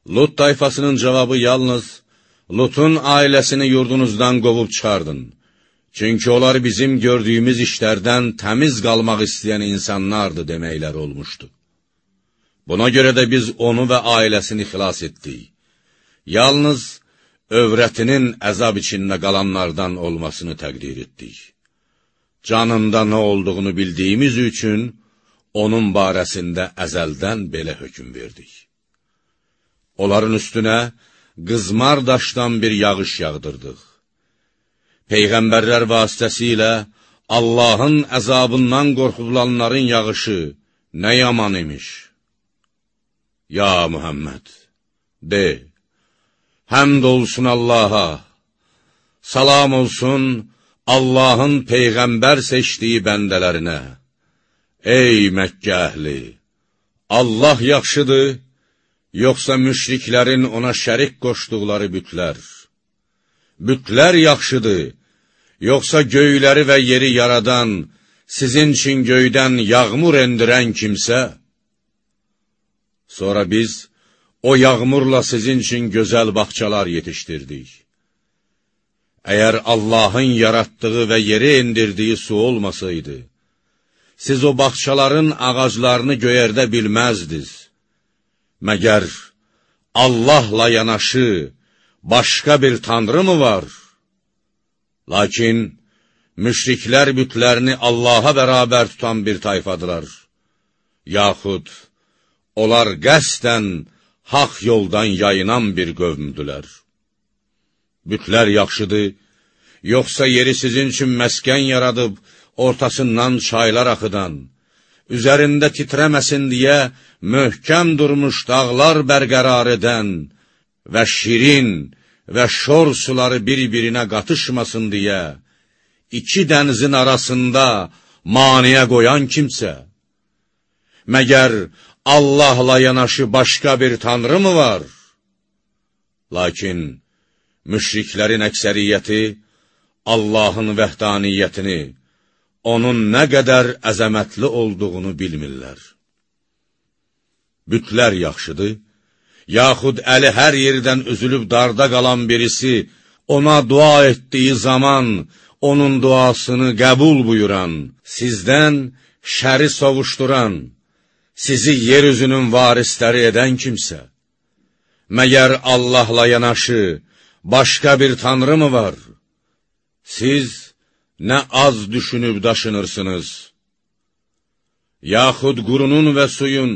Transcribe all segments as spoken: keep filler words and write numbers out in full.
Lut tayfasının cavabı yalnız, Lutun ailəsini yurdunuzdan qovub çıxardın. Çünki onlar bizim gördüyümüz işlərdən təmiz qalmaq istəyən insanlardır deməkləri olmuşdu. Buna görə də biz onu və ailəsini xilas etdik. Yalnız övrətinin əzab içində qalanlardan olmasını təqdir etdik. Canında nə olduğunu bildiyimiz üçün onun barəsində əzəldən belə hökm verdik. Onların üstünə qızmar daşdan bir yağış yağdırdıq. Peyğəmbərlər vasitəsilə Allahın əzabından qorxulanların yağışı nə yaman imiş. Ya Muhammed, de, həmd olsun Allaha, salam olsun Allahın Peyğəmbər seçdiyi bəndələrinə. Ey Məkkə əhli, Allah yaxşıdır, yoxsa müşriklərin ona şərik qoşduqları bütlər? Bütlər yaxşıdır, yoxsa göyləri və yeri yaradan, sizin üçün göydən yağmur endirən kimsə? Sonra biz o yağmurla sizin üçün gözəl bağçalar yetişdirdik. Əgər Allahın yaratdığı və yeri endirdiyi su olmasaydı, siz o bağçaların ağaclarını göyərdə bilməzdiniz. Məgər Allahla yanaşı başqa bir tanrı mı var? Lakin müşriklər bütlərini Allaha bərabər tutan bir tayfadılar. Yaxud onlar qəsdən haq yoldan yayınan bir qövmdülər. Bütlər yaxşıdır, yoxsa yeri sizin üçün məskən yaradıb, ortasından çaylar axıdan, üzərində titrəməsin deyə möhkəm durmuş dağlar bərqərar edən və şirin və şor suları bir-birinə qatışmasın deyə iki dənizin arasında maniyə qoyan kimsə, məgər Allahla yanaşı başqa bir tanrı mı var? Lakin müşriklərin əksəriyyəti Allahın vəhdaniyyətini, onun nə qədər əzəmətli olduğunu bilmirlər. Bütlər yaxşıdır, yaxud əli hər yerdən üzülüb darda qalan birisi ona dua etdiyi zaman onun duasını qəbul buyuran, sizdən şəri sovuşduran, sizi yeryüzünün varisləri edən kimsə, məgər Allahla yanaşı başqa bir tanrı mı var? Siz nə az düşünüb daşınırsınız? Yaxud qurunun və suyun,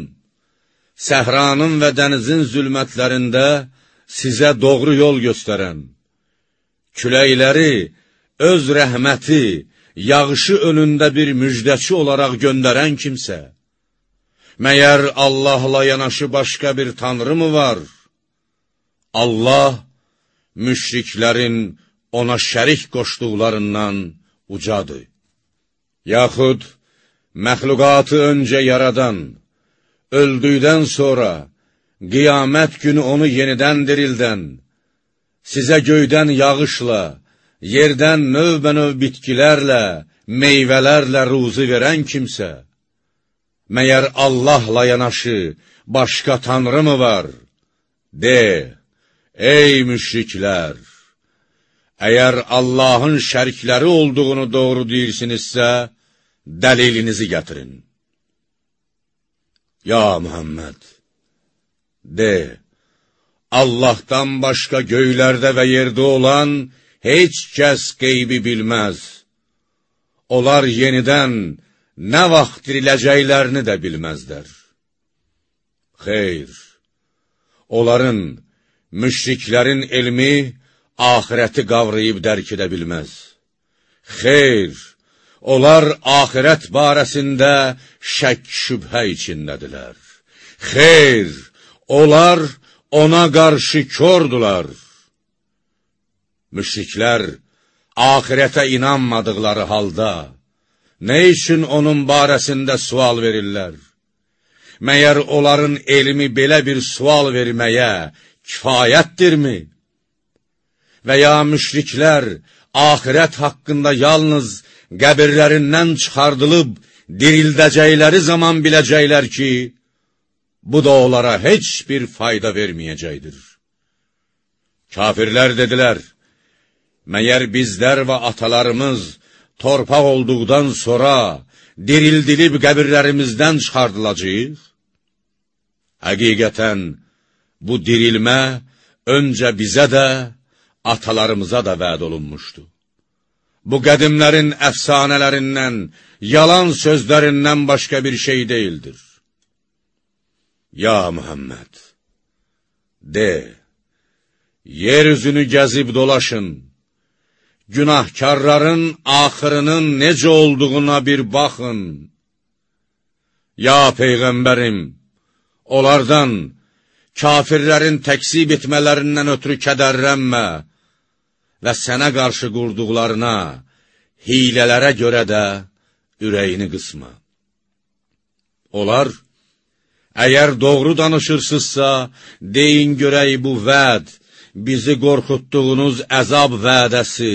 səhranın və dənizin zülmətlərində sizə doğru yol göstərən, küləkləri öz rəhməti, yağışı önündə bir müjdəçi olaraq göndərən kimsə, məyər Allahla yanaşı başqa bir tanrı mı var? Allah, müşriklərin ona şərik qoşduqlarından ucadır. Yaxud, məxluqatı öncə yaradan, öldükdən sonra, qiyamət günü onu yenidən dirildən, sizə göydən yağışla, yerdən növbə-növ bitkilərlə, meyvələrlə ruzi verən kimsə, məyər Allahla yanaşı başqa tanrı mı var? De, ey müşriklər! Əgər Allahın şərikləri olduğunu doğru deyirsinizsə, dəlilinizi gətirin. Ya Muhammed, de, Allahdan başqa göylərdə və yerdə olan heç kəs qeybi bilməz. Onlar yenidən nə vaxt diriləcəklərini də bilməzlər. Xeyr, onların, müşriklərin elmi, axirəti qavrayıb dərk edə bilməz. Xeyr, onlar axirət barəsində şək şübhə içindədirlər. Xeyr, onlar ona qarşı kördular. Müşriklər axirətə inanmadıqları halda, nə üçün onun barəsində sual verirlər? Məyər onların elmi belə bir sual verməyə kifayətdirmi? Və ya müşriklər axirət haqqında yalnız qəbirlərindən çıxardılıb dirildəcəkləri zaman biləcəklər ki, bu da onlara heç bir fayda verməyəcəkdir. Kafirlər dedilər, məyər bizlər və atalarımız torpaq olduqdan sonra dirildilib qəbirlərimizdən çıxardılacaq? Həqiqətən, bu dirilmə öncə bizə də, atalarımıza da vəd olunmuşdu. Bu qədimlərin əfsanələrindən, yalan sözlərindən başqa bir şey deyildir. Ya Muhammed, de, yeryüzünü gəzib dolaşın, günahkarların axırının necə olduğuna bir baxın. Ya Peyğəmbərim, onlardan, kafirlərin təksib etmələrindən ötürü kədərlənmə və sənə qarşı qurduqlarına, hilələrə görə də ürəyini qısma. Onlar, əgər doğru danışırsızsa, deyin görək bu vəd, bizi qorxutduğunuz əzab vədəsi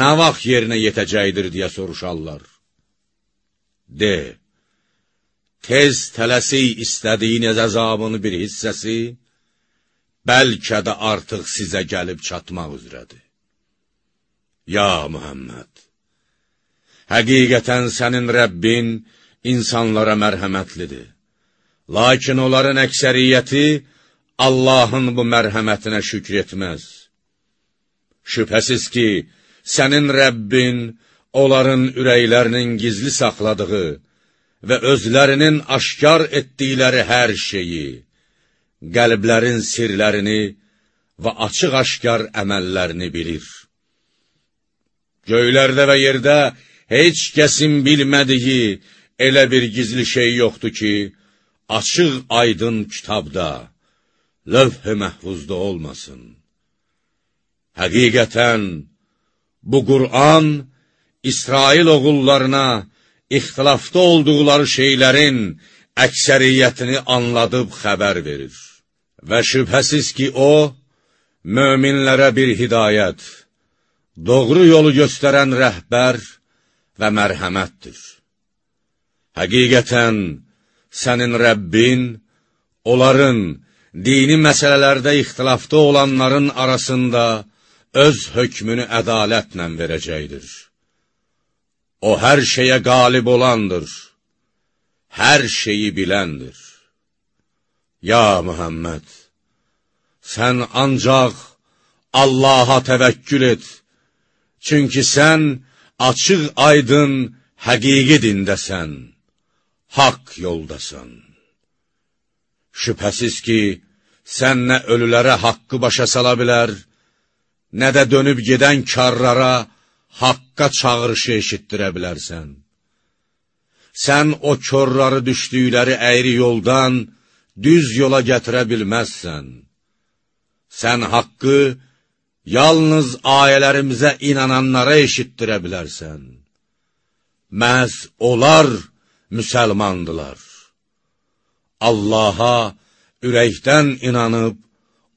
nə vaxt yerinə yetəcəkdir deyə soruşarlar. De, tez tələsik istədiyiniz əzabını bir hissəsi, bəlkə də artıq sizə gəlib çatmaq üzrədir. Ya Muhammed, həqiqətən sənin Rəbbin insanlara mərhəmətlidir. Lakin onların əksəriyyəti Allahın bu mərhəmətinə şükr etməz. Şübhəsiz ki, sənin Rəbbin onların ürəklərinin gizli saxladığı və özlərinin aşkar etdikləri hər şeyi, qəlblərin sirlərini və açıq-aşkar əməllərini bilir. Göylərdə və yerdə heç kəsin bilmədiyi elə bir gizli şey yoxdur ki, açıq aydın kitabda, lövh-i məhfuzda olmasın. Həqiqətən, bu Qur'an, İsrail oğullarına ixtilafda olduqları şeylərin əksəriyyətini anladıb xəbər verir. Və şübhəsiz ki, o, möminlərə bir hidayət, doğru yolu göstərən rəhbər və mərhəmətdir. Həqiqətən, sənin Rəbbin, onların dini məsələlərdə ixtilafda olanların arasında öz hökmünü ədalətlə verəcəkdir. O, hər şeyə qalib olandır, hər şeyi biləndir. Ya Muhammed, sən ancaq Allaha təvəkkül et, çünki sən açıq aydın həqiqi dindəsən, haqq yoldasan. Şübhəsiz ki, sən nə ölülərə haqqı başa sala bilər, nə də dönüb gedən karlara haqqa çağırışı eşitdirə bilərsən. Sən o körləri düşdükləri əyri yoldan düz yola gətirə bilməzsən. Sən haqqı yalnız ayələrimizə inananlara eşitdirə bilərsən. Məhz onlar müsəlmandılar. Allaha ürəkdən inanıb,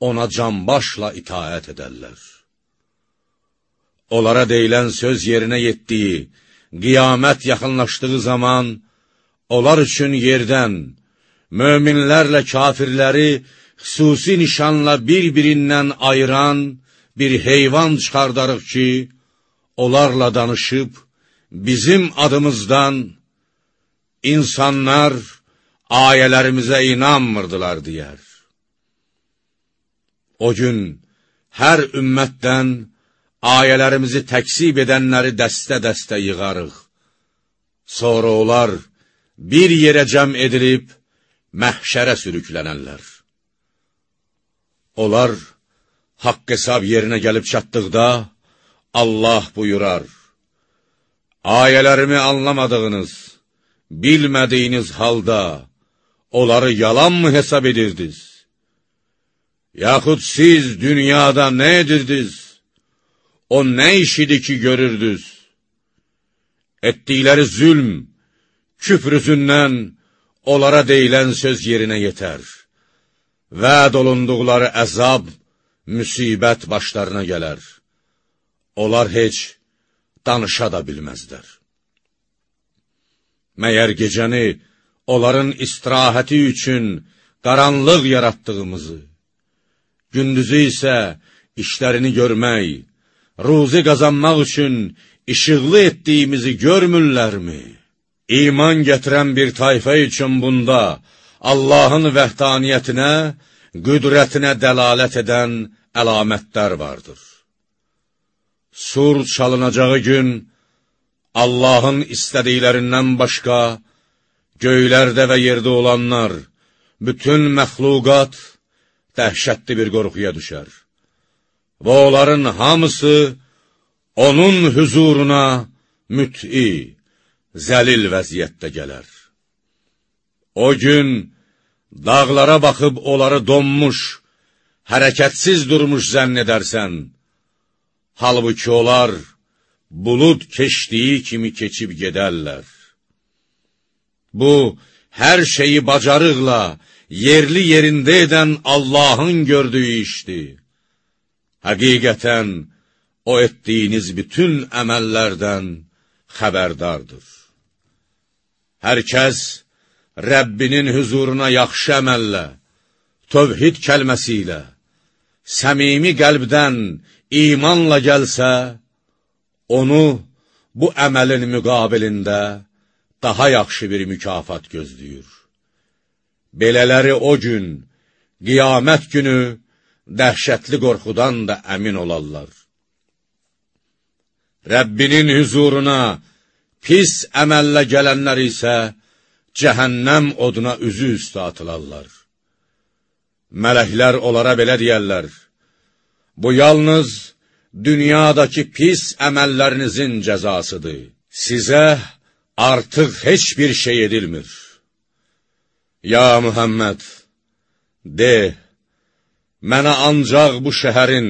ona canbaşla itaət edərlər. Onlara deyilən söz yerinə yetdiyi, qiyamət yaxınlaşdığı zaman, onlar üçün yerdən, möminlərlə kafirləri xüsusi nişanla bir-birindən ayıran bir heyvan çıxardarıq ki, onlarla danışıb, bizim adımızdan insanlar ayələrimizə inanmırdılar deyər. O gün hər ümmətdən ayələrimizi təksib edənləri dəstə-dəstə yığarıq. Sonra onlar bir yerə cəm edilib, məhşərə sürüklənərlər. Onlar haqq hesab yerinə gəlib çatdıqda, Allah buyurar, ayələrimi anlamadığınız, bilmədiyiniz halda, onları yalan mı hesab edirdiniz? Yaxud siz dünyada nə edirdiniz? O nə iş idi ki görürdünüz? Etdikləri zülm, küfr üzündən onlara deyilən söz yerinə yetər. Vəd olunduqları əzab, müsibət başlarına gələr. Onlar heç danışa da bilməzlər. Məyər gecəni onların istirahəti üçün qaranlıq yaratdığımızı, gündüzü isə işlərini görmək, ruzi qazanmaq üçün işıqlı etdiyimizi görmürlərmi? İman gətirən bir tayfa üçün bunda Allahın vəhdaniyyətinə, qüdrətinə dəlalət edən əlamətlər vardır. Sur çalınacağı gün Allahın istədiklərindən başqa göylərdə və yerdə olanlar, bütün məxluqat dəhşətli bir qorxuya düşər. Və onların hamısı onun huzuruna müt'i, zəlil vəziyyətdə gələr. O gün dağlara baxıb onları donmuş, hərəkətsiz durmuş zənn edərsən, halbuki onlar bulud keçdiyi kimi keçib gedərlər. Bu, hər şeyi bacarıqla, yerli yerində edən Allahın gördüyü işdir. Həqiqətən, o etdiyiniz bütün əməllərdən xəbərdardır. Hər kəs Rəbbinin huzuruna yaxşı əməllə, tövhid kəlməsi ilə, səmimi qəlbdən imanla gəlsə, onu bu əməlin müqabilində daha yaxşı bir mükafat gözləyir. Belələri o gün, qiyamət günü, dəhşətli qorxudan da əmin olarlar. Rəbbinin huzuruna pis əməllə gələnlər isə cəhənnəm oduna üzü üstə atılarlar. Mələklər onlara belə deyərlər, bu yalnız dünyadakı pis əməllərinizin cəzasıdır. Sizə artıq heç bir şey edilmir. Ya Muhammed, de, mənə ancaq bu şəhərin,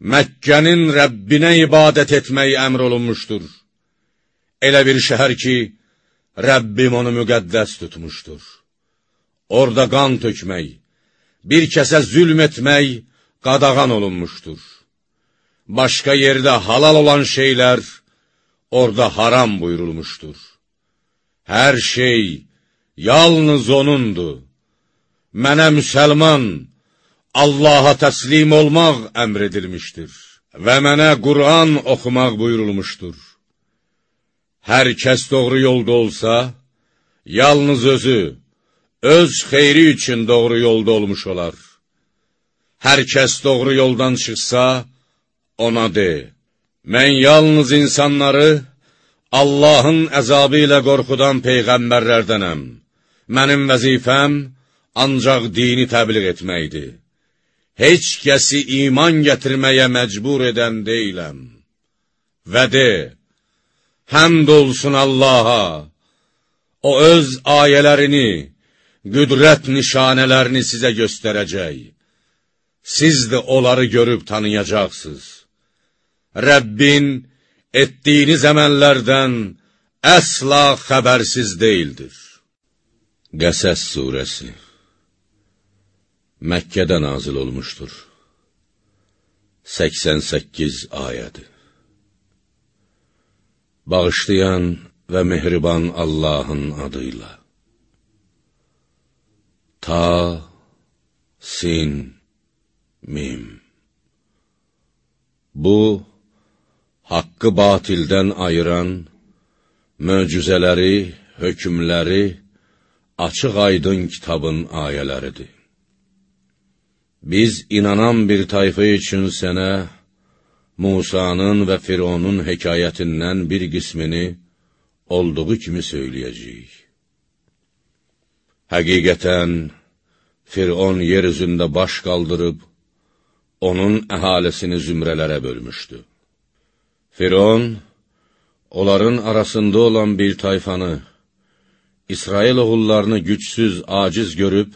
Məkkənin Rəbbinə ibadət etmək əmr olunmuşdur. Elə bir şəhər ki, Rəbbim onu müqəddəs tutmuşdur. Orada qan tökmək, bir kəsə zülm etmək qadağan olunmuşdur. Başqa yerdə halal olan şeylər orada haram buyurulmuşdur. Hər şey yalnız onundur. Mənə müsəlman, Allaha təslim olmaq əmr edilmişdir və mənə Qur'an oxumaq buyurulmuşdur. Hər kəs doğru yolda olsa, yalnız özü, öz xeyri üçün doğru yolda olmuş olar. Hər kəs doğru yoldan çıxsa, ona de, mən yalnız insanları Allahın əzabı ilə qorxudan peyğəmbərlərdənəm. Mənim vəzifəm ancaq dini təbliğ etməkdir. Heç kəsi iman gətirməyə məcbur edən deyiləm. Və de, həmd olsun Allaha, o öz ayələrini, qüdrət nişanələrini sizə göstərəcək. Siz də onları görüb tanıyacaqsınız. Rəbbin etdiyiniz əməllərdən əsla xəbərsiz deyildir. Qəsəs surəsi Məkkədə nazil olmuşdur. səksən səkkiz ayədir. Bağışlayan və mehriban Allahın adıyla. Ta, sin, mim. Bu, haqqı batildən ayıran, möcüzələri, hökmləri, açıq aydın kitabın ayələridir. Biz inanan bir tayfa üçün sənə Musanın və Fironun hekayətindən bir qismini olduğu kimi söyləyəcəyik. Həqiqətən, Firon yer üzündə baş qaldırıb, onun əhalisini zümrələrə bölmüşdü. Firon, onların arasında olan bir tayfanı, İsrail oğullarını gücsüz, aciz görüb,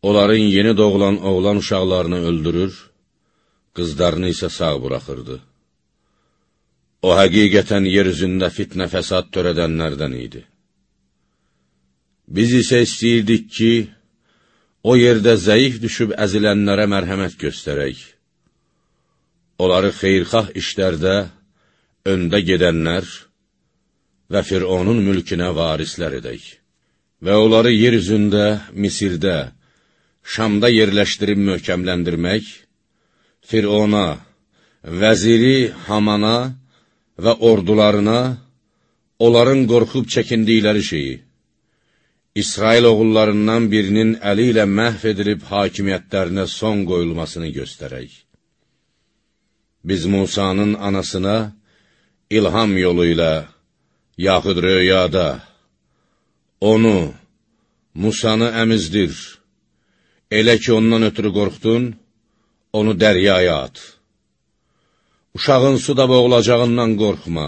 onların yeni doğulan oğlan uşaqlarını öldürür, qızlarını isə sağ buraxırdı. O, həqiqətən yer üzündə fitnə fəsad törədənlərdən idi. Biz isə istəyirdik ki, o yerdə zəif düşüb əzilənlərə mərhəmət göstərək. Onları xeyrxah işlərdə öndə gedənlər və Fironun mülkünə varislər edək. və onları yer üzündə, Misirdə, Şamda yerləşdirib möhkəmləndirmək, Firona, vəziri Hamana və ordularına, onların qorxub çəkindikləri şeyi, İsrail oğullarından birinin əli ilə məhv edilib hakimiyyətlərinə son qoyulmasını göstərək. Biz Musanın anasına ilham yolu ilə, yaxud röyada, onu, Musanı əmizdir, elə ki ondan ötürü qorxdun, onu dəryaya at. Uşağın suda boğulacağından qorxma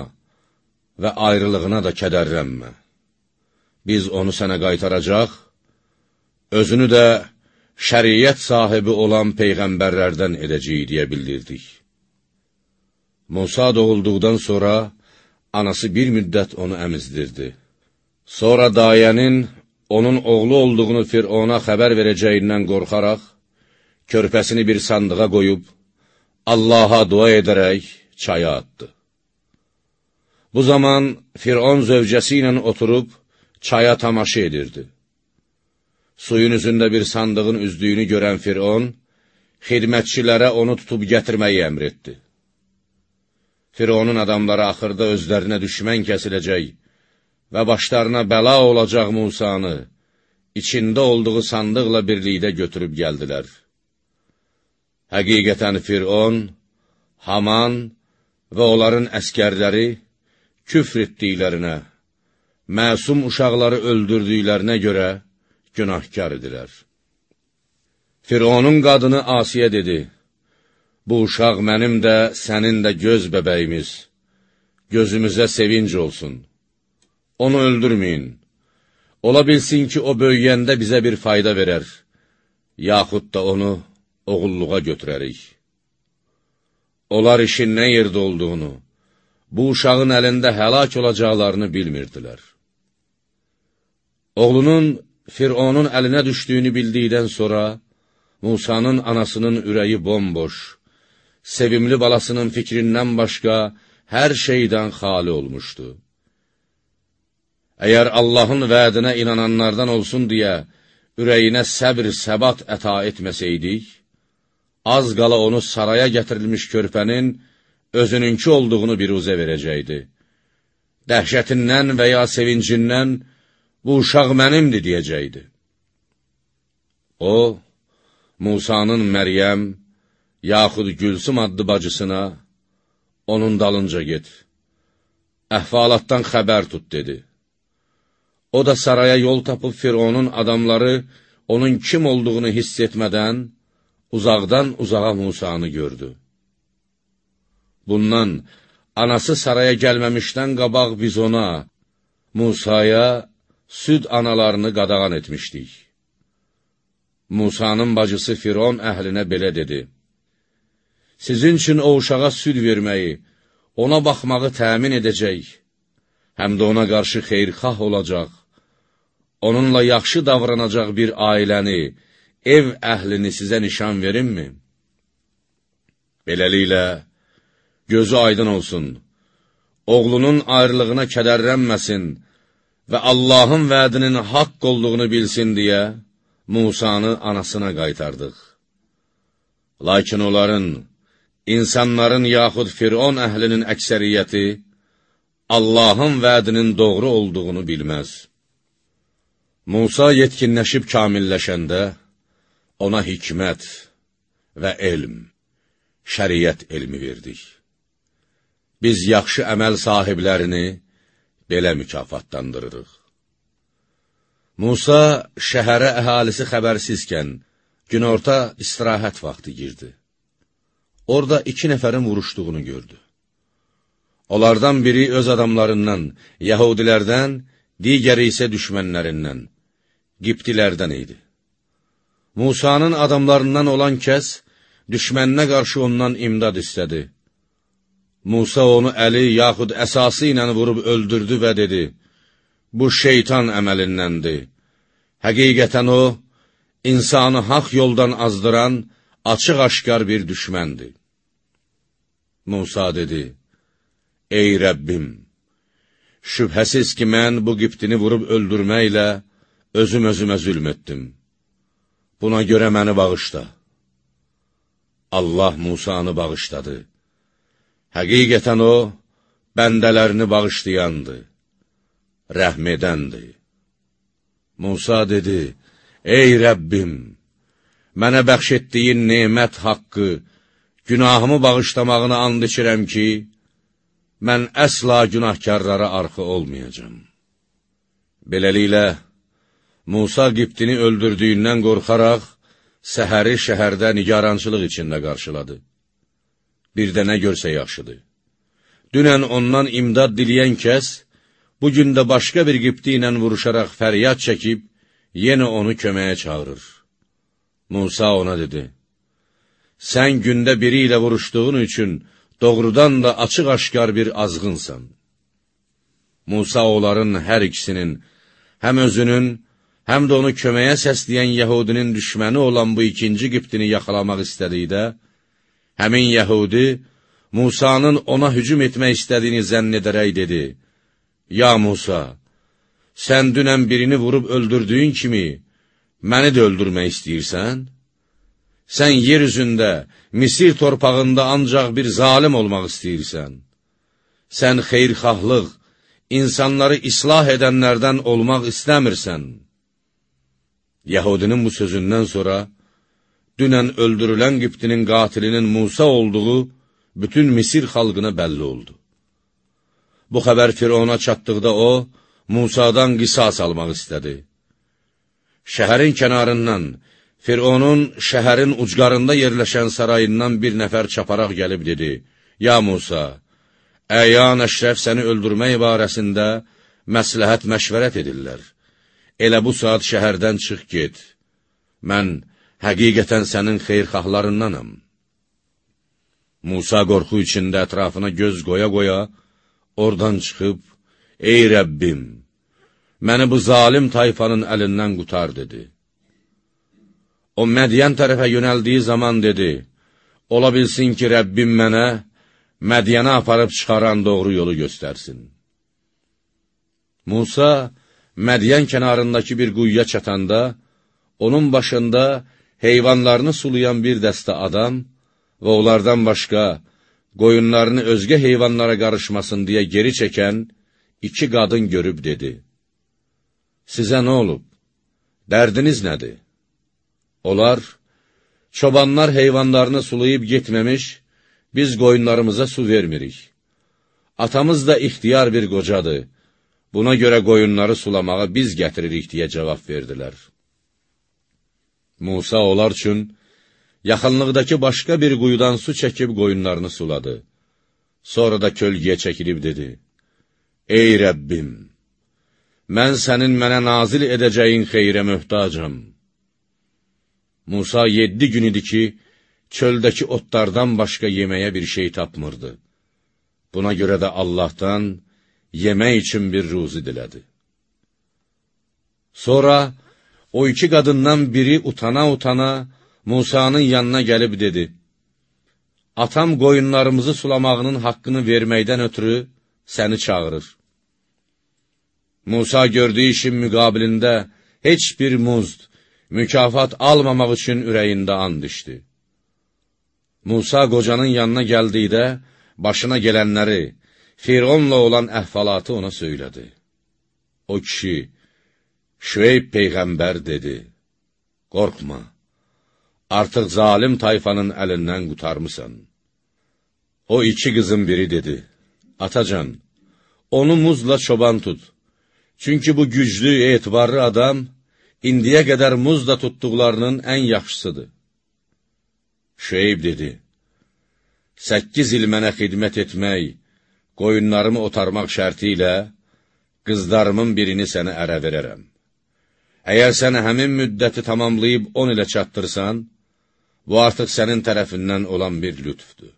və ayrılığına da kədərlənmə. Biz onu sənə qaytaracaq, özünü də şəriət sahibi olan peyğəmbərlərdən edəcəyik deyə bildirdik. Musa doğulduqdan sonra anası bir müddət onu əmizdirdi. Sonra dayənin onun oğlu olduğunu Firona xəbər verəcəyindən qorxaraq, körpəsini bir sandığa qoyub, Allaha dua edərək çaya atdı. Bu zaman Firon zövcəsi ilə oturub, çaya tamaşa edirdi. Suyun üzündə bir sandığın üzdüyünü görən Firon, xidmətçilərə onu tutub gətirməyi əmr etdi. Fironun adamları axırda özlərinə düşmən kəsiləcək və başlarına bəla olacaq Musanı, içində olduğu sandıqla birlikdə götürüb gəldilər. Həqiqətən Firon, Haman və onların əskərləri küfr etdiklərinə, məsum uşaqları öldürdüklərinə görə günahkar idilər. Fironun qadını Asiyə dedi, bu uşaq mənim də, sənin də göz bəbəyimiz, gözümüzə sevinc olsun. Onu öldürməyin. Ola bilsin ki, o böyüyəndə bizə bir fayda verər, yaxud da onu oğulluğa götürərik. Onlar işin nə yerdə olduğunu, bu uşağın əlində həlak olacaqlarını bilmirdilər. Oğlunun Fironun əlinə düşdüyünü bildikdən sonra, Musanın anasının ürəyi bomboş, sevimli balasının fikrindən başqa hər şeydən xali olmuşdu. Əgər Allahın vədinə inananlardan olsun deyə, ürəyinə səbr, səbat əta etməsəydik, az qala onu saraya gətirilmiş körpənin özününki olduğunu biruzə verəcəkdi. Dəhşətindən və ya sevincindən, bu uşaq mənimdir, deyəcəkdi. O, Musanın Məryəm, yaxud Gülsüm adlı bacısına, onun dalınca get, əhvalatdan xəbər tut, dedi. O da saraya yol tapıb Fironun adamları onun kim olduğunu hiss etmədən, uzaqdan uzağa Musanı gördü. Bundan, anası saraya gəlməmişdən qabaq biz ona, Musaya, süd analarını qadağan etmişdik. Musanın bacısı Firon əhlinə belə dedi, sizin üçün o uşağa süd verməyi, ona baxmağı təmin edəcək, həm də ona qarşı xeyrxah olacaq, onunla yaxşı davranacaq bir ailəni, ev əhlini sizə nişan verinmi? Beləliklə, gözü aydın olsun, oğlunun ayrılığına kədərlənməsin və Allahın vədinin haqq olduğunu bilsin deyə Musanı anasına qaytardıq. Lakin onların, insanların yaxud Firon əhlinin əksəriyyəti Allahın vədinin doğru olduğunu bilməz. Musa yetkinləşib kamilləşəndə ona hikmət və elm, şəriət elmi verdik. Biz yaxşı əməl sahiblərini belə mükafatlandırırıq. Musa şəhərə əhalisi xəbərsizkən, günorta istirahət vaxtı girdi. Orada iki nəfərin vuruşduğunu gördü. Onlardan biri öz adamlarından, Yahudilərdən, digəri isə düşmənlərindən, Qibtilərdən idi. Musanın adamlarından olan kəs, düşməninə qarşı ondan imdad istədi. Musa onu əli yaxud əsası ilə vurub öldürdü və dedi, bu şeytan əməlindəndir. Həqiqətən o, insanı haq yoldan azdıran, açıq-aşkar bir düşməndir. Musa dedi, ey Rəbbim, şübhəsiz ki, mən bu Qibtini vurub öldürməklə özüm özümə zülm etdim. Buna görə məni bağışla. Allah Musanı bağışladı. Həqiqətən o, bəndələrini bağışlayandı, rəhm edəndi. Musa dedi, ey Rəbbim, mənə bəxş etdiyin nemət haqqı, günahımı bağışlamağını and içirəm ki, mən əsla günahkarlara arxı olmayacam. Beləliklə, Musa Qibtini öldürdüyündən qorxaraq, səhəri şəhərdə nigarançılıq içində qarşıladı. Bir də nə görsə yaxşıdır. Dünən ondan imdad diləyən kəs, bugün də başqa bir Qibti ilə vuruşaraq fəryad çəkib, yenə onu köməyə çağırır. Musa ona dedi, sən gündə biri ilə vuruşduğun üçün doğrudan da açıq-aşkar bir azğınsan. Musa onların hər ikisinin, həm özünün, həm də onu köməyə səsləyən Yəhudinin düşməni olan bu ikinci Qibtini yaxalamaq istədikdə, həmin Yəhudi, Musanın ona hücum etmək istədiyini zənn edərək dedi, ya Musa, sən dünən birini vurub öldürdüyün kimi, məni də öldürmək istəyirsən? Sən yer üzündə, Misir torpağında ancaq bir zalim olmaq istəyirsən. Sən xeyrxahlıq, insanları islah edənlərdən olmaq istəmirsən. Yəhudinin bu sözündən sonra, dünən öldürülən Qibtinin qatilinin Musa olduğu bütün Misir xalqına bəlli oldu. Bu xəbər Firona çatdıqda o, Musadan qisas almaq istədi. Şəhərin kənarından, Fironun şəhərin ucqarında yerləşən sarayından bir nəfər çaparaq gəlib dedi, ya Musa, əyan əşrəf səni öldürmək barəsində məsləhət məşvərət edirlər. Elə bu saat şəhərdən çıx get. Mən həqiqətən sənin xeyrxahlarındanam. Musa qorxu içində ətrafına göz qoya-qoya, oradan çıxıb, ey Rəbbim, məni bu zalim tayfanın əlindən qutar, dedi. O, Mədiyən tərəfə yönəldiyi zaman dedi, ola bilsin ki, Rəbbim mənə Mədiyənə aparıb çıxaran doğru yolu göstərsin. Musa, Mədiyən kənarındakı bir quyuya çatanda, onun başında heyvanlarını sulayan bir dəstə adam və onlardan başqa, qoyunlarını özgə heyvanlara qarışmasın deyə geri çəkən iki qadın görüb dedi, sizə nə olub? Dərdiniz nədir? Onlar, çobanlar heyvanlarını sulayıb getməmiş, biz qoyunlarımıza su vermirik. Atamız da ixtiyar bir qocadır, buna görə qoyunları sulamağa biz gətiririk deyə cavab verdilər. Musa onlar üçün, yaxınlıqdakı başqa bir quyudan su çəkib qoyunlarını suladı. Sonra da kölgəyə çəkilib dedi, ey Rəbbim, mən sənin mənə nazil edəcəyin xeyrə möhtacam. Musa yeddi gün idi ki, çöldəki otlardan başqa yeməyə bir şey tapmırdı. Buna görə də Allahdan yemək üçün bir ruzi dilədi. Sonra o iki qadından biri utana-utana Musanın yanına gəlib dedi, atam qoyunlarımızı sulamağının haqqını verməkdən ötürü səni çağırır. Musa gördüyü işin müqabilində heç bir muzd, mükafat almamaq üçün ürəyində and içdi. Musa qocanın yanına gəldikdə, başına gələnləri, Fironla olan əhvalatı ona söylədi. O kişi, Şüeyb Peyğəmbər dedi, qorxma, artıq zalim tayfanın əlindən qutarmısan. O iki qızın biri dedi, atacan, onu muzla çoban tut, çünki bu güclü, etibarlı adam, indiyə qədər muzla tutduqlarının ən yaxşısıdır. Şüeyb dedi, səkkiz il mənə xidmət etmək, qoyunlarımı otarmaq şərti ilə, qızlarımın birini sənə ərə verərəm. Əgər sən həmin müddəti tamamlayıb on ilə çatdırsan, bu artıq sənin tərəfindən olan bir lütfdür.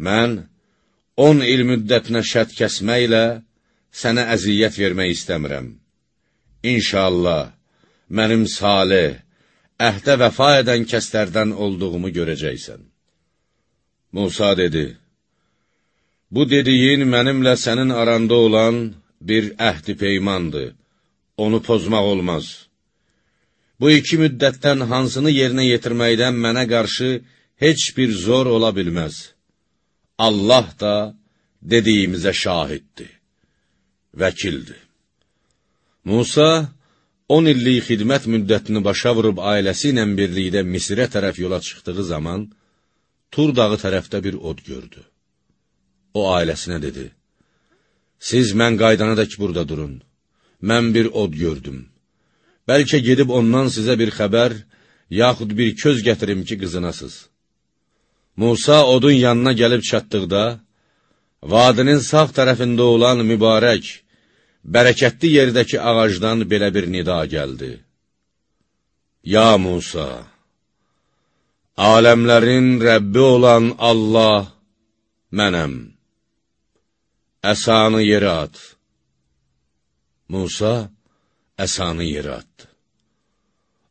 Mən on il müddətinə şərt kəsməklə sənə əziyyət vermək istəmirəm. İnşallah, mənim salih, əhdə vəfa edən kəslərdən olduğumu görəcəksən. Musa dedi, bu dediyin mənimlə sənin aranda olan bir əhdi peymandır, onu pozmaq olmaz. Bu iki müddətdən hansını yerinə yetirməkdən mənə qarşı heç bir zor ola bilməz. Allah da dediyimizə şahiddir, vəkildir. Musa on illik xidmət müddətini başa vurub ailəsi ilə birlikdə Misirə tərəf yola çıxdığı zaman, Tur dağı tərəfdə bir od gördü. O ailəsinə dedi, siz mən qaydanadək burada durun, mən bir od gördüm. Bəlkə gedib ondan sizə bir xəbər, yaxud bir köz gətirim ki, qızınasız. Musa odun yanına gəlib çatdıqda, vadinin sağ tərəfində olan mübarək, bərəkətli yerdəki ağacdan belə bir nida gəldi. Ya Musa, aləmlərin Rəbbi olan Allah mənəm. Əsanı yerə at. Musa əsanı yerə atdı.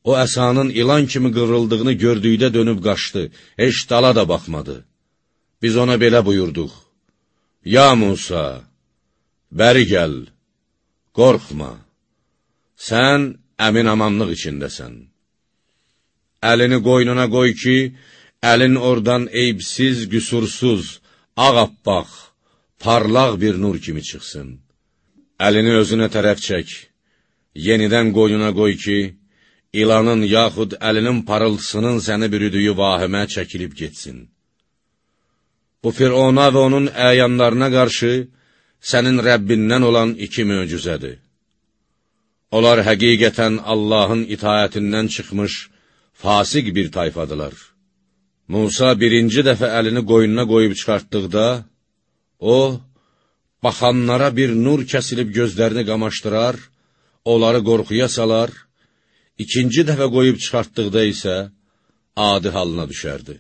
O əsanın ilan kimi qıvrıldığını gördükdə dönüb qaçdı, heç dala da baxmadı. Biz ona belə buyurduq. Ya Musa, bəri gəl, qorxma, sən əmin-amanlıq içindəsən. Əlini qoynuna qoy ki, əlin oradan eybsiz, qüsursuz, ağappaq, parlaq bir nur kimi çıxsın. Əlini özünə tərəf çək, yenidən qoynuna qoy ki, ilanın yaxud əlinin parıltısının səni bürüdüyü vahimə çəkilib getsin. Bu Firona və onun əyanlarına qarşı sənin Rəbbindən olan iki möcüzədir. Onlar həqiqətən Allahın itaətindən çıxmış, fasik bir tayfadılar. Musa birinci dəfə əlini qoynuna qoyub çıxartdıqda, o, baxanlara bir nur kəsilib gözlərini qamaşdırar, onları qorxuya salar, ikinci dəfə qoyub çıxartdıqda isə adi halına düşərdi.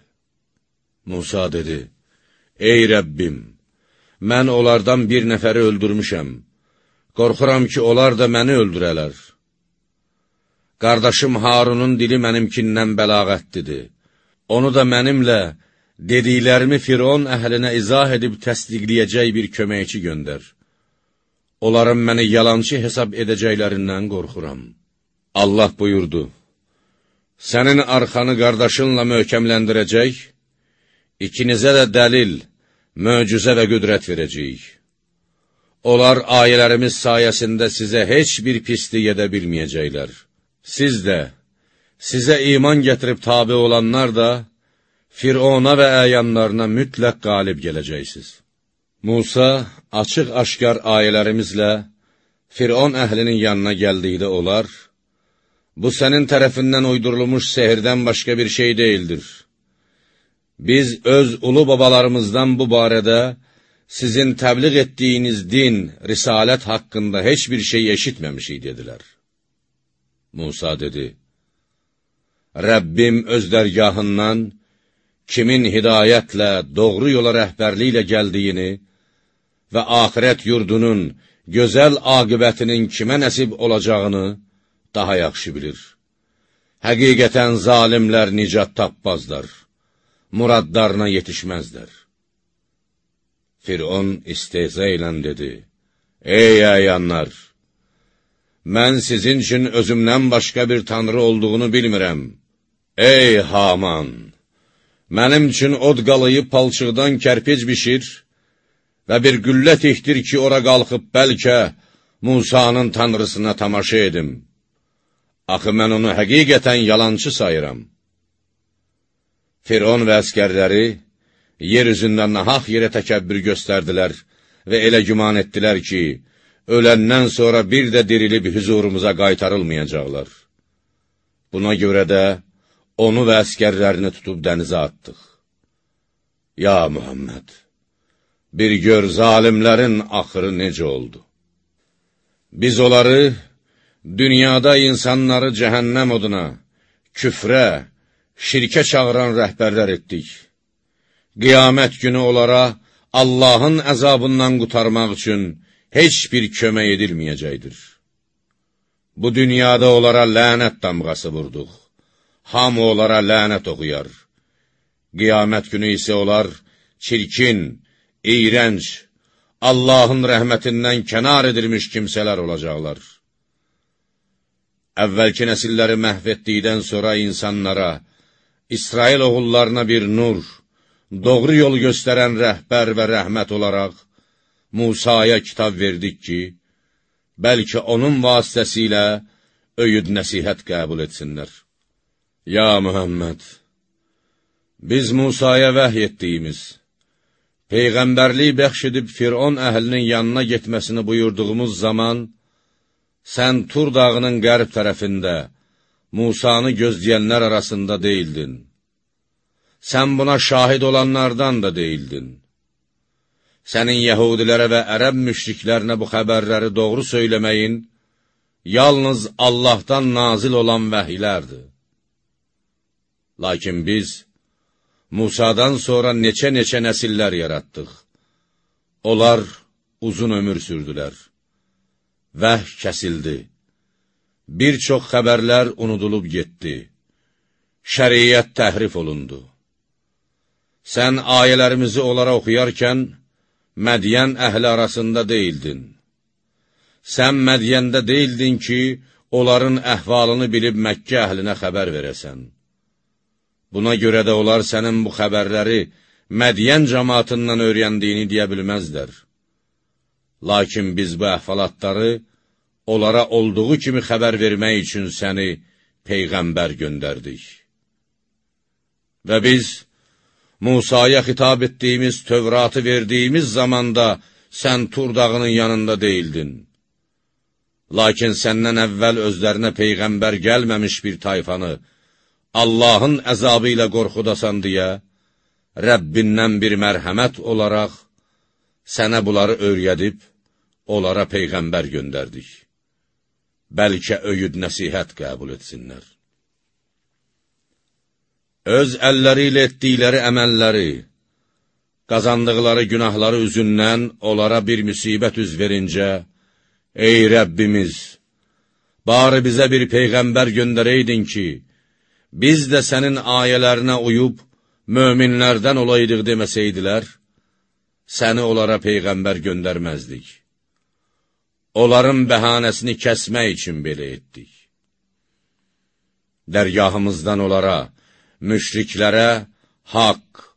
Musa dedi, ey Rəbbim, mən onlardan bir nəfəri öldürmüşəm, qorxuram ki, onlar da məni öldürələr. Qardaşım Harunun dili mənimkindən bəlağətlidir. Onu da mənimlə dediklərimi Firon əhlinə izah edib təsdiqləyəcək bir köməkçi göndər. Onların məni yalançı hesab edəcəklərindən qorxuram. Allah buyurdu, sənin arxanı qardaşınla möhkəmləndirəcək, ikinizə də dəlil, möcüzə və qüdrət verəcəyik. Onlar ayələrimiz sayəsində sizə heç bir pislik edə bilməyəcəklər. Siz də, sizə iman gətirib tabi olanlar da, Firona və əyanlarına mütləq qalib gələcəksiniz. Musa açıq-aşkar ayələrimizlə Firon əhlinin yanına gəldikdə olar, bu sənin tərəfindən uydurulmuş sehirdən başqa bir şey deyildir. Biz öz ulu babalarımızdan bu barədə sizin təbliğ etdiyiniz din, risalət haqqında heç bir şey eşitməmişik, dedilər. Musa dedi, Rəbbim öz dərgahından kimin hidayətlə, doğru yola rəhbərliklə gəldiyini və axirət yurdunun gözəl aqibətinin kimə nəsib olacağını daha yaxşı bilir. Həqiqətən zalimlər nicat tapmazlar, muradlarına yetişməzlər. Firon istehza ilə dedi, ey əyanlar, mən sizin üçün özümdən başqa bir tanrı olduğunu bilmirəm. Ey Haman, mənim üçün od qalayıb palçıqdan kərpic bişir və bir güllə tihdir ki, ora qalxıb bəlkə Musanın tanrısına tamaşa edim. Axı mən onu həqiqətən yalançı sayıram. Firon və əskərləri yer üzündə nahaq yerə təkəbbür göstərdilər və elə güman etdilər ki, öləndən sonra bir də dirilib hüzurumuza qaytarılmayacaqlar. Buna görə də onu və əskərlərini tutub dənizə atdıq. Ya Muhammed, bir gör zalimlərin axırı necə oldu. Biz onları dünyada insanları cəhənnəm oduna, küfrə, şirkə çağıran rəhbərlər etdik. Qiyamət günü onlara Allahın əzabından qurtarmaq üçün heç bir kömək edilməyəcəkdir. Bu dünyada onlara lənət damğası vurduq. Hamı onlara lənət oxuyar. Qiyamət günü isə onlar çirkin, iyrənc, Allahın rəhmətindən kənar edilmiş kimsələr olacaqlar. əvvəlki nəsilləri məhv etdikdən sonra insanlara, İsrail oğullarına bir nur, doğru yol göstərən rəhbər və rəhmət olaraq Musaya kitab verdik ki, bəlkə onun vasitəsilə öyüd nəsihət qəbul etsinlər. Ya Muhammed, biz Musaya vəhy etdiyimiz, Peyğəmbərlik bəxş edib Firon əhlinin yanına getməsini buyurduğumuz zaman, sən Tur dağının qərb tərəfində, Musanı gözləyənlər arasında deyildin. Sən buna şahid olanlardan da deyildin. Sənin yəhudilərə və ərəb müşriklərinə bu xəbərləri doğru söyləməyin, yalnız Allahdan nazil olan vəhiylərdir. Lakin biz, Musadan sonra neçə-neçə nəsillər yaratdıq. Onlar uzun ömür sürdülər. Vəhy kəsildi. Bir çox xəbərlər unudulub getdi. Şəriət təhrif olundu. Sən ayələrimizi onlara oxuyarkən, Mədiyən əhli arasında deyildin. Sən Mədiyəndə deyildin ki, onların əhvalını bilib Məkkə əhlinə xəbər verəsən. Buna görə də onlar sənin bu xəbərləri Mədiyən cəmaatından öyrəndiyini deyə bilməzlər. Lakin biz bu əhvalatları onlara olduğu kimi xəbər vermək üçün səni Peyğəmbər göndərdik. Və biz Musaya xitab etdiyimiz Tövratı verdiyimiz zamanda sən Tur dağının yanında deyildin. Lakin səndən əvvəl özlərinə Peyğəmbər gəlməmiş bir tayfanı Allahın əzabı ilə qorxudasan deyə, Rəbbindən bir mərhəmət olaraq sənə bunları öyrədib, onlara Peyğəmbər göndərdik. Bəlkə öyüd nəsihət qəbul etsinlər. Öz əlləri ilə etdikləri əməlləri, qazandıqları günahları üzündən onlara bir müsibət üz verincə, ey Rəbbimiz, bari bizə bir Peyğəmbər göndərəydin ki, biz də sənin ayələrinə uyub, möminlərdən olaydıq deməsəydilər, səni onlara Peyğəmbər göndərməzdik. Onların bəhanəsini kəsmək üçün belə etdik. Dərgahımızdan onlara, müşriklərə haqq,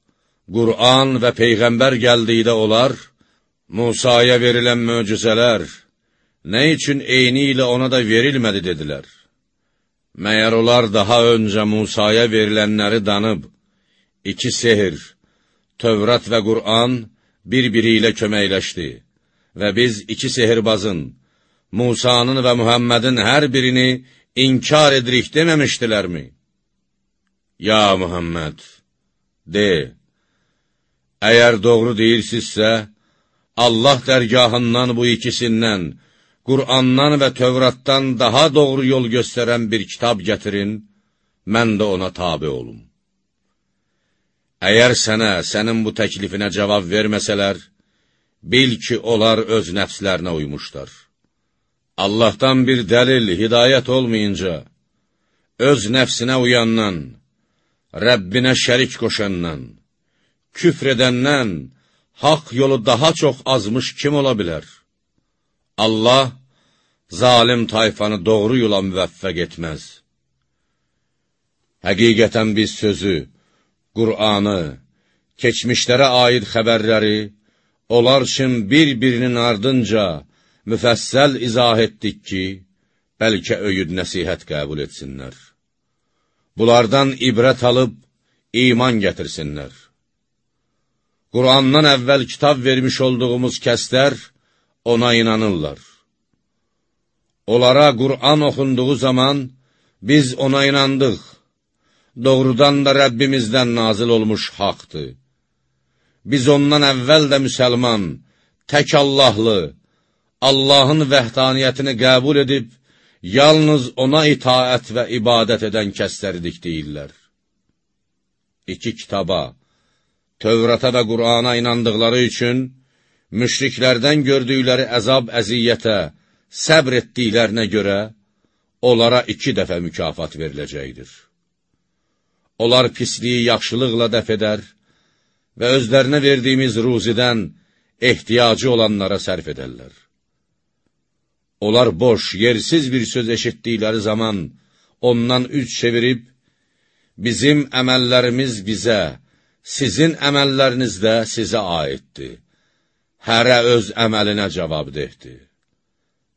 Qur'an və Peyğəmbər gəldikdə olar, Musaya verilən möcüzələr, nə üçün eyni ilə ona da verilmədi dedilər. Məyər onlar daha öncə Musaya verilənləri danıb, iki sehir, Tövrat və Qur'an bir-biri ilə köməkləşdi və biz iki sehirbazın, Musanın və Muhammedin hər birini inkar edirik deməmişdilərmi? Ya Muhammed, de, əgər doğru deyirsinizsə, Allah dərgahından bu ikisindən, Qur'andan və Tövratdan daha doğru yol göstərən bir kitab gətirin, mən də ona tabi olum. Əgər sənə, sənin bu təklifinə cavab verməsələr, bil ki, onlar öz nəfslərinə uymuşlar. Allahdan bir dəlil, hidayət olmayınca, öz nəfsinə uyandan, Rəbbinə şərik qoşandan, küfr edəndən, haqq yolu daha çox azmış kim ola bilər? Allah, zalim tayfanı doğru yola müvəffəq etməz. Həqiqətən biz sözü, Qur'anı, keçmişlərə aid xəbərləri, onlar üçün bir-birinin ardınca müfəssəl izah etdik ki, bəlkə öyüd nəsihət qəbul etsinlər. Bunlardan ibrət alıb, iman gətirsinlər. Qur'andan əvvəl kitab vermiş olduğumuz kəslər ona inanırlar. Onlara Qur'an oxunduğu zaman biz ona inandıq. Doğrudan da Rəbbimizdən nazil olmuş haqdır. Biz ondan əvvəl də müsəlman, tək Allahlı, Allahın vəhdaniyyətini qəbul edib, yalnız ona itaət və ibadət edən kəsləridik deyirlər. İki kitaba, Tövrata və Qur'ana inandıqları üçün, müşriklərdən gördükləri əzab əziyyətə, səbr etdiklərinə görə, onlara iki dəfə mükafat veriləcəkdir. Onlar pisliyi yaxşılıqla dəf edər və özlərinə verdiyimiz ruzidən ehtiyacı olanlara sərf edərlər. Onlar boş, yersiz bir söz eşitdikləri zaman ondan üç çevirib, bizim əməllərimiz bizə, sizin əməlləriniz də sizə aiddir. Hərə öz əməlinə cavabdehdir.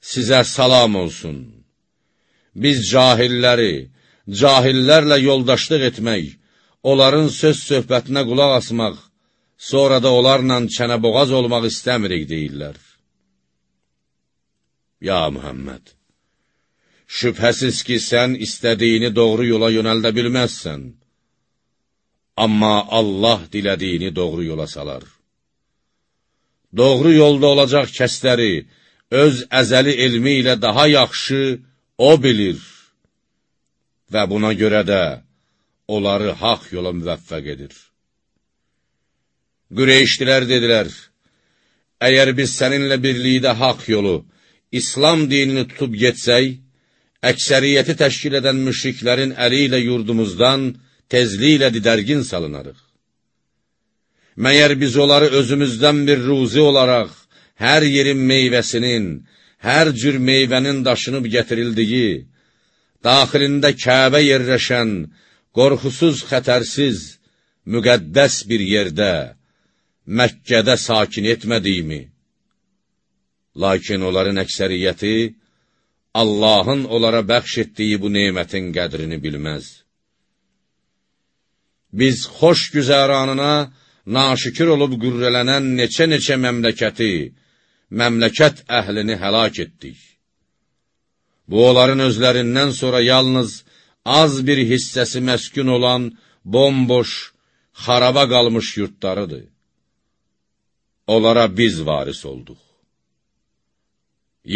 Sizə salam olsun. Biz cahilləri, cahillərlə yoldaşlıq etmək, onların söz söhbətinə qulaq asmaq, sonra da onlarla çənəboğaz olmaq istəmirik deyirlər. Ya Muhammed, şübhəsiz ki, sən istədiyini doğru yola yönəldə bilməzsən. Amma Allah dilədiyini doğru yola salar. Doğru yolda olacaq kəsləri öz əzəli elmi ilə daha yaxşı O bilir və buna görə də onları haq yola müvəffəq edir. Qüreyşdilər dedilər, əgər biz səninlə birlikdə haq yolu, İslam dinini tutub getsək, əksəriyyəti təşkil edən müşriklərin əli ilə yurdumuzdan tezliklə didərgin salınarıq. Məyər biz onları özümüzdən bir ruzi olaraq, hər yerin meyvəsinin, hər cür meyvənin daşınıb gətirildiyi, daxilində Kəbə yerləşən, qorxusuz, xətərsiz, müqəddəs bir yerdə, Məkkədə sakin etmədiyimi, lakin onların əksəriyyəti, Allahın onlara bəxş etdiyi bu nemətin qədrini bilməz. Biz xoş güzəranına naşükür olub qürrələnən neçə-neçə məmləkəti, məmləkət əhlini həlak etdik. Bu, onların özlərindən sonra yalnız az bir hissəsi məskun olan, bomboş, xaraba qalmış yurtlarıdır. Onlara biz varis olduq.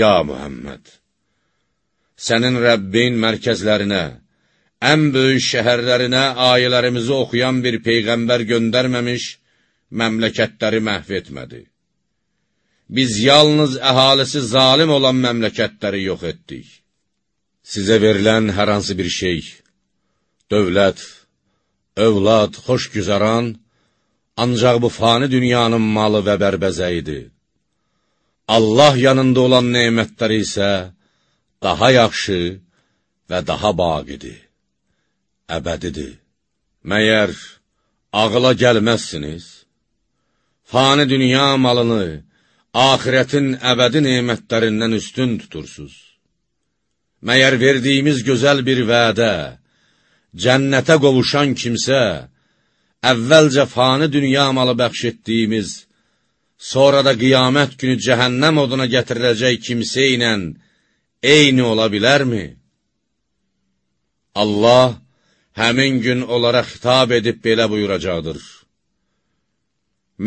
Ya Muhammed, sənin Rəbbin mərkəzlərinə, ən böyük şəhərlərinə ayələrimizi oxuyan bir peyğəmbər göndərməmiş, məmləkətləri məhv etmədi. Biz yalnız əhalisi zalim olan məmləkətləri yox etdik. Sizə verilən hər hansı bir şey, dövlət, övlad, xoş güzəran, ancaq bu fani dünyanın malı və bərbəzəyidir. Allah yanında olan nemətləri isə daha yaxşı və daha baqidir, əbədidir. Məyər ağıla gəlməzsiniz? Fani dünya malını, axirətin əbədi nemətlərindən üstün tutursuz. Məyər verdiyimiz gözəl bir vədə, cənnətə qovuşan kimsə, əvvəlcə fani dünya malı bəxş etdiyimiz, sonra da qiyamət günü cəhənnəm oduna gətiriləcək kimsə ilə eyni ola bilərmi? Allah həmin gün onlara xitab edib belə buyuracaqdır.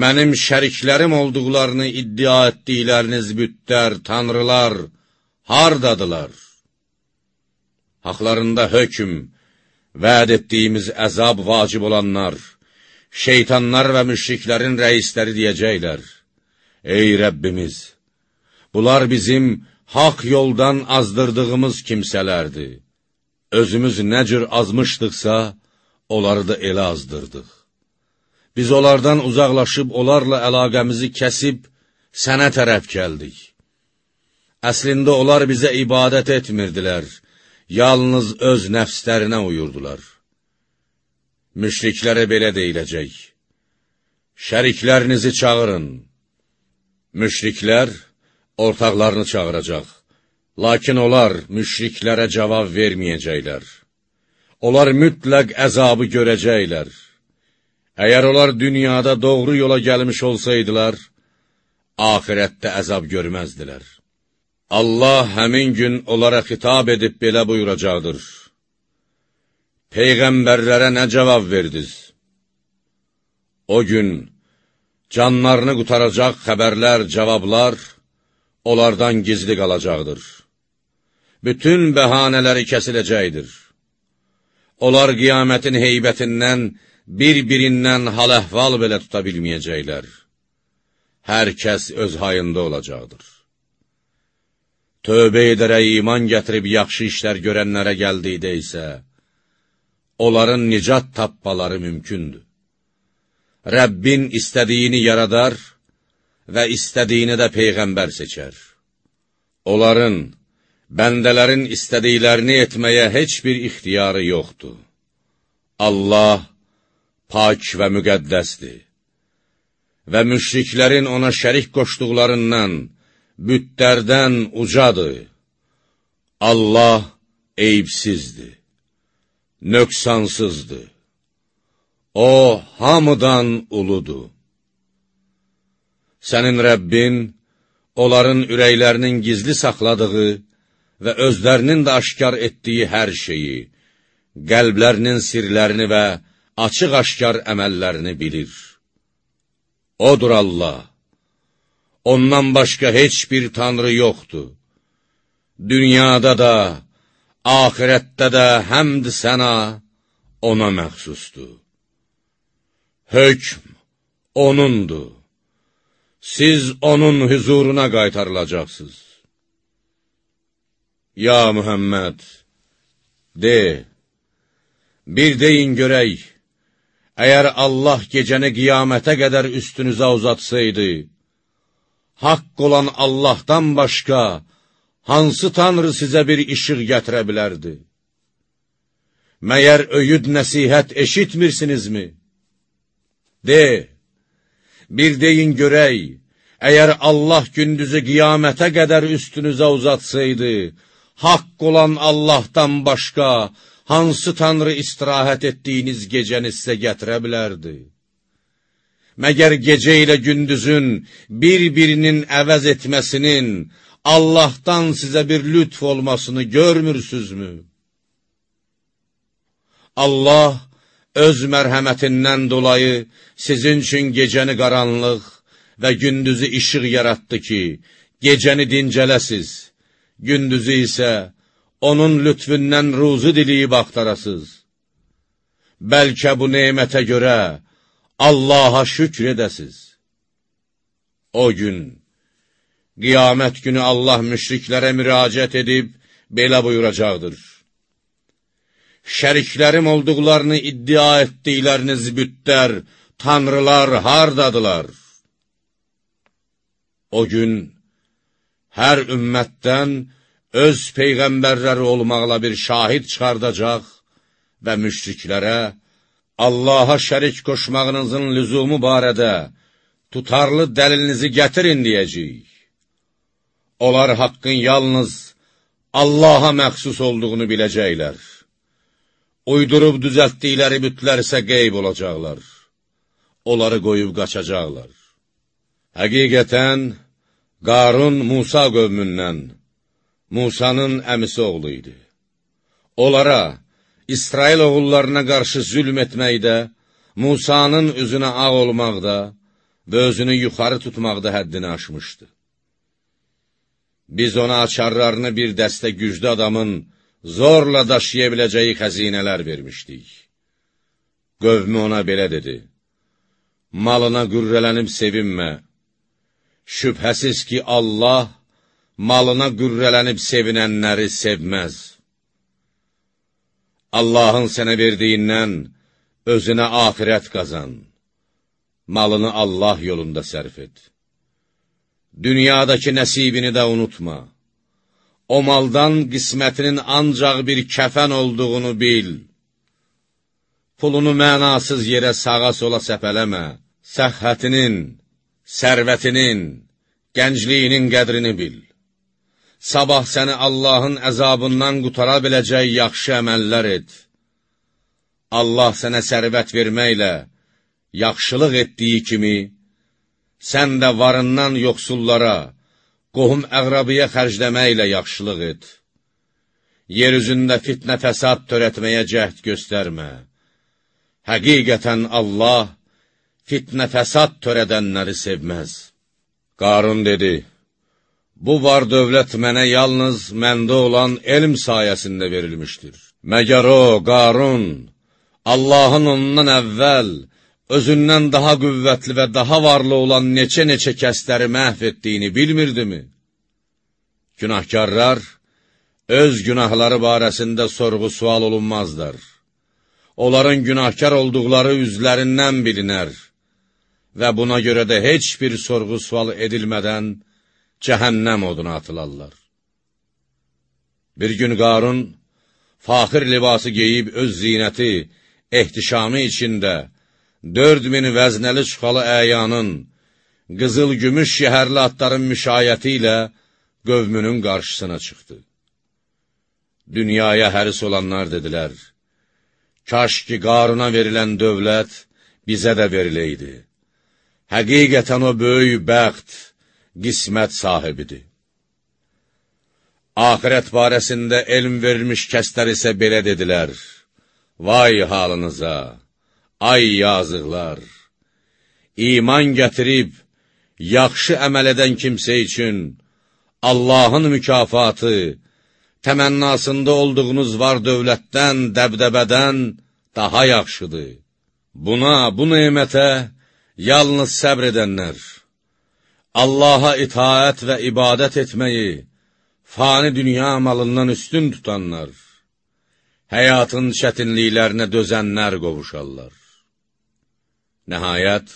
Mənim şəriklərim olduqlarını iddia etdikləriniz bütlər, tanrılar, hardadılar? Haqlarında hökm, vəd etdiyimiz əzab vacib olanlar, şeytanlar və müşriklərin rəisləri deyəcəklər. Ey Rəbbimiz, bunlar bizim haqq yoldan azdırdığımız kimsələrdir. Özümüz nə cür azmışdıqsa, onları da elə azdırdıq. Biz onlardan uzaqlaşıb, onlarla əlaqəmizi kəsib, sənə tərəf gəldik. Əslində onlar bizə ibadət etmirdilər, yalnız öz nəfslərinə uyurdular. Müşriklərə belə deyiləcək, şəriklərinizi çağırın. Müşriklər ortaqlarını çağıracaq, lakin onlar müşriklərə cavab verməyəcəklər. Onlar mütləq əzabı görəcəklər. Əgər onlar dünyada doğru yola gəlmiş olsaydılar, axirətdə əzab görməzdilər. Allah həmin gün onlara xitab edib belə buyuracaqdır. Peyğəmbərlərə nə cavab verdiniz? O gün canlarını qutaracaq xəbərlər, cavablar onlardan gizli qalacaqdır. Bütün bəhanələri kəsiləcəkdir. Onlar qiyamətin heybətindən, bir-birindən hal-əhval belə tuta bilməyəcəklər. Hər kəs öz hayında olacaqdır. Tövbə edərək iman gətirib yaxşı işlər görənlərə gəldikdə isə, onların nicat tapmaları mümkündür. Rəbbin istədiyini yaradar və istədiyini də Peyğəmbər seçər. Onların, bəndələrin istədiklərini etməyə heç bir ixtiyarı yoxdur. Allah pak və müqəddəsdir və müşriklərin ona şərik qoşduqlarından, bütlərdən ucadır. Allah eyibsizdir, nöqsansızdır. O, hamıdan uludur. Sənin Rəbbin, onların ürəklərinin gizli saxladığı və özlərinin də aşkar etdiyi hər şeyi, qəlblərinin sirlərini və açıq-aşkar əməllərini bilir. Odur Allah, ondan başqa heç bir tanrı yoxdur. Dünyada da, ahirətdə də həmd sənə ona məxsusdur. Hökm onundur. Siz onun huzuruna qaytarılacaqsınız. Ya Muhammed, de, bir deyin görək, əgər Allah gecəni qiyamətə qədər üstünüzə uzatsaydı, haqq olan Allahdan başqa, hansı tanrı sizə bir işıq gətirə bilərdi? Məyər öyüd nəsihət eşitmirsinizmi? De, bir deyin görək, əgər Allah gündüzü qiyamətə qədər üstünüzə uzatsaydı, haqq olan Allahdan başqa, hansı tanrı istirahət etdiyiniz gecəni sizə gətirə bilərdi? Məgər gecə ilə gündüzün bir-birinin əvəz etməsinin, Allahdan sizə bir lütf olmasını görmürsünüzmü? Allah öz mərhəmətindən dolayı sizin üçün gecəni qaranlıq və gündüzü işıq yaratdı ki, gecəni dincələsiz, gündüzü isə onun lütfündən ruzu diliyib axtarasız. Bəlkə bu nemətə görə Allaha şükr edəsiz. O gün, qiyamət günü Allah müşriklərə müraciət edib, belə buyuracaqdır. Şəriklərim olduqlarını iddia etdikləriniz bütlər, tanrılar hardadılar? O gün, hər ümmətdən öz peyğəmbərləri olmaqla bir şahid çıxardacaq və müşriklərə Allaha şərik qoşmağınızın lüzumu barədə tutarlı dəlilinizi gətirin deyəcəyik. Onlar haqqın yalnız Allaha məxsus olduğunu biləcəklər. Uydurub düzəltdikləri bütlər isə qeyb olacaqlar. Onları qoyub qaçacaqlar. Həqiqətən, Qarun Musa qövmündən, Musanın əmisi oğlu idi. Onlara, İsrail oğullarına qarşı zülm etməkdə, Musanın üzünə ağ olmaqda və özünü yuxarı tutmaqda həddini aşmışdı. Biz ona açarlarını bir dəstə güclü adamın zorla daşıya biləcəyi xəzinələr vermişdik. Qövmü ona belə dedi, malına qürrələnib sevinmə. Şübhəsiz ki, Allah malına qürrələnib sevinənləri sevməz. Allahın sənə verdiyindən özünə axirət qazan. Malını Allah yolunda sərf et. Dünyadakı nəsibini də unutma. O maldan qismətinin ancaq bir kəfən olduğunu bil. Pulunu mənasız yerə sağa sola səpələmə. Səhhətinin, sərvətinin, gəncliyinin qədrini bil. Sabah səni Allahın əzabından qutara biləcək yaxşı əməllər et. Allah sənə sərvət verməklə yaxşılıq etdiyi kimi, sən də varından yoxsullara, qohum əqrabiyə xərcləməklə yaxşılıq et. Yer üzündə fitnə fəsad törətməyə cəhd göstərmə. Həqiqətən Allah fitnə fəsad törədənləri sevməz. Qarun dedi, bu var dövlət mənə yalnız məndə olan elm sayəsində verilmişdir. Məgər o, Qarun, Allahın ondan əvvəl, özündən daha qüvvətli və daha varlı olan neçə-neçə kəsləri məhv etdiyini bilmirdimi? Günahkarlar öz günahları barəsində sorğu-sual olunmazlar. Onların günahkar olduqları üzlərindən bilinər və buna görə də heç bir sorğu-sual edilmədən cəhənnəm oduna atılarlar. Bir gün Qarun, faxir libası geyib öz zinəti, ehtişamı içində, dörd min vəznəli çuxalı əyanın, qızıl-gümüş şəhərli atların müşayəti ilə qövmünün qarşısına çıxdı. Dünyaya həris olanlar dedilər, kaş ki, Qaruna verilən dövlət bizə də veriləydi. Həqiqətən o böyük bəxt, qismət sahibidir. Ahirət barəsində elm verilmiş kəslər isə belə dedilər, vay halınıza, ay yazıqlar! İman gətirib, yaxşı əməl edən kimsə üçün Allahın mükafatı, təmənnasında olduğunuz var dövlətdən, dəbdəbədən daha yaxşıdır. Buna, bu nemətə yalnız səbr edənlər, Allaha itaət və ibadət etməyi, fani dünya malından üstün tutanlar, həyatın çətinliklərinə dözənlər qovuşarlar. Nəhayət,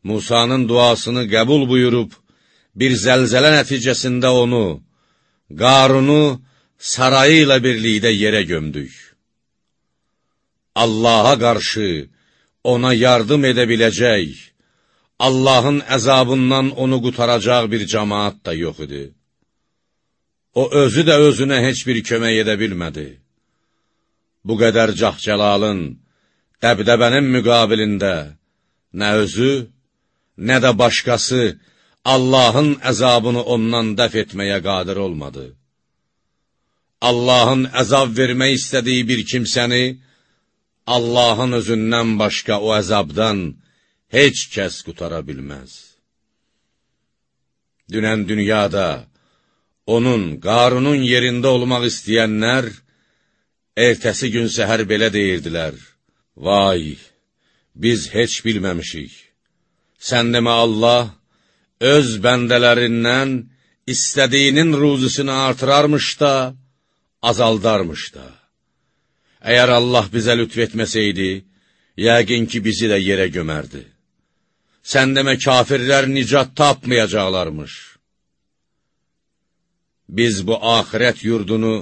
Musanın duasını qəbul buyurub, bir zəlzələ nəticəsində onu, Qarunu sarayı ilə birlikdə yerə gömdük. Allaha qarşı ona yardım edə biləcək, Allahın əzabından onu qutaracaq bir cəmaat da yox idi. O özü də özünə heç bir kömək edə bilmədi. Bu qədər cəhcəlalın, dəbdəbənin müqabilində nə özü, nə də başqası Allahın əzabını ondan dəf etməyə qadir olmadı. Allahın əzab vermək istədiyi bir kimsəni, Allahın özündən başqa o əzabdan heç kəs qutara bilməz. Dünən dünyada onun, Qarunun yerində olmaq istəyənlər, ertəsi gün səhər belə deyirdilər, vay, biz heç bilməmişik. Sən demə Allah, öz bəndələrindən istədiyinin ruzisini artırarmış da, azaldarmış da. Əgər Allah bizə lütf etməsəydi, yəqin ki, bizi də yerə gömərdi. Sən demə, kafirlər nicat tapmayacaqlarmış. Biz bu axirət yurdunu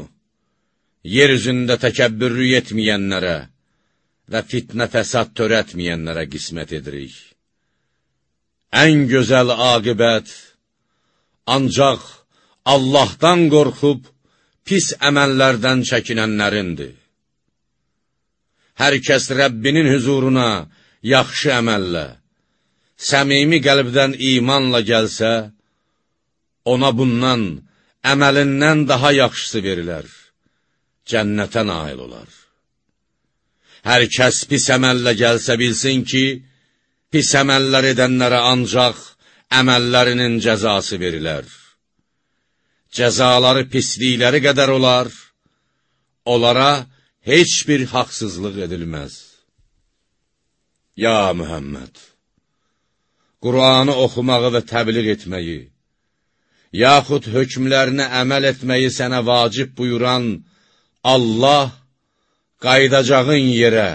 yer üzündə təkəbbürlük etməyənlərə və fitnə fəsad törətməyənlərə qismət edirik. Ən gözəl aqibət ancaq Allahdan qorxub pis əməllərdən çəkinənlərindir. Hər kəs Rəbbinin hüzuruna yaxşı əməllə, səmimi qəlbdən imanla gəlsə, ona bundan, əməlindən daha yaxşısı verilər, cənnətə nail olar. Hər kəs pis əməllə gəlsə bilsin ki, pis əməllər edənlərə ancaq əməllərinin cəzası verilər. Cəzaları pislikləri qədər olar, onlara heç bir haqsızlıq edilməz. Ya Mühəmməd, Qur'anı oxumağı və təbliğ etməyi, yaxud hökmlərinə əməl etməyi sənə vacib buyuran Allah, qaydacağın yerə,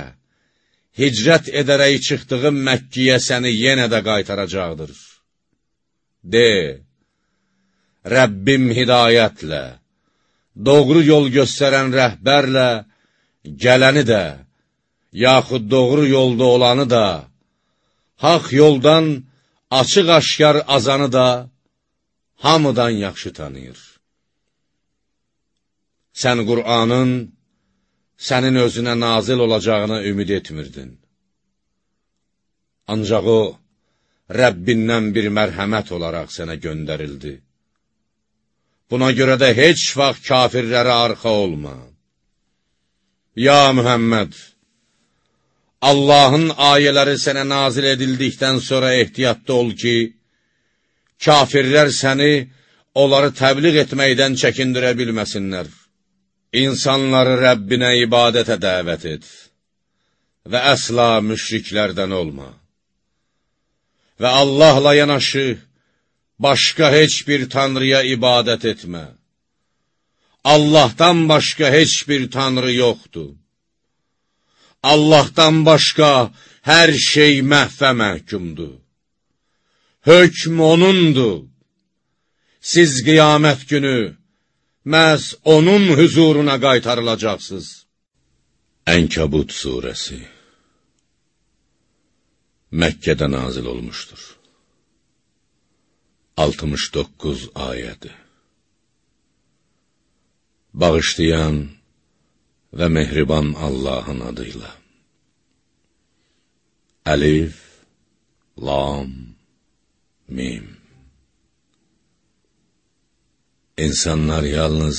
hicrət edərək çıxdığın Məkkiyə səni yenə də qaytaracaqdır. De, Rəbbim hidayətlə, doğru yol göstərən rəhbərlə, gələni də, yaxud doğru yolda olanı da, haq yoldan açıq-aşkar azanı da, hamıdan yaxşı tanıyır. Sən Qur'anın sənin özünə nazil olacağına ümid etmirdin. Ancaq o, Rəbbindən bir mərhəmət olaraq sənə göndərildi. Buna görə də heç vaxt kafirlərə arxa olma. Ya Mühəmməd, Allahın ayələri sənə nazil edildikdən sonra ehtiyatda ol ki, kafirlər səni, onları təbliğ etməkdən çəkindirə bilməsinlər. İnsanları Rəbbinə ibadətə dəvət et və əsla müşriklərdən olma. Və Allahla yanaşı, başqa heç bir tanrıya ibadət etmə. Allahdan başqa heç bir tanrı yoxdur. Allahdan başqa hər şey məhvə məhkumdur. Hökm onundur. Siz qiyamət günü məhz onun huzuruna qaytarılacaqsınız. Ənkəbut surəsi Məkkədə nazil olmuşdur. altmış doqquz ayədi. Bağışlayan və mehriban Allahın adıyla. Əlif, Lam, Mim. İnsanlar yalnız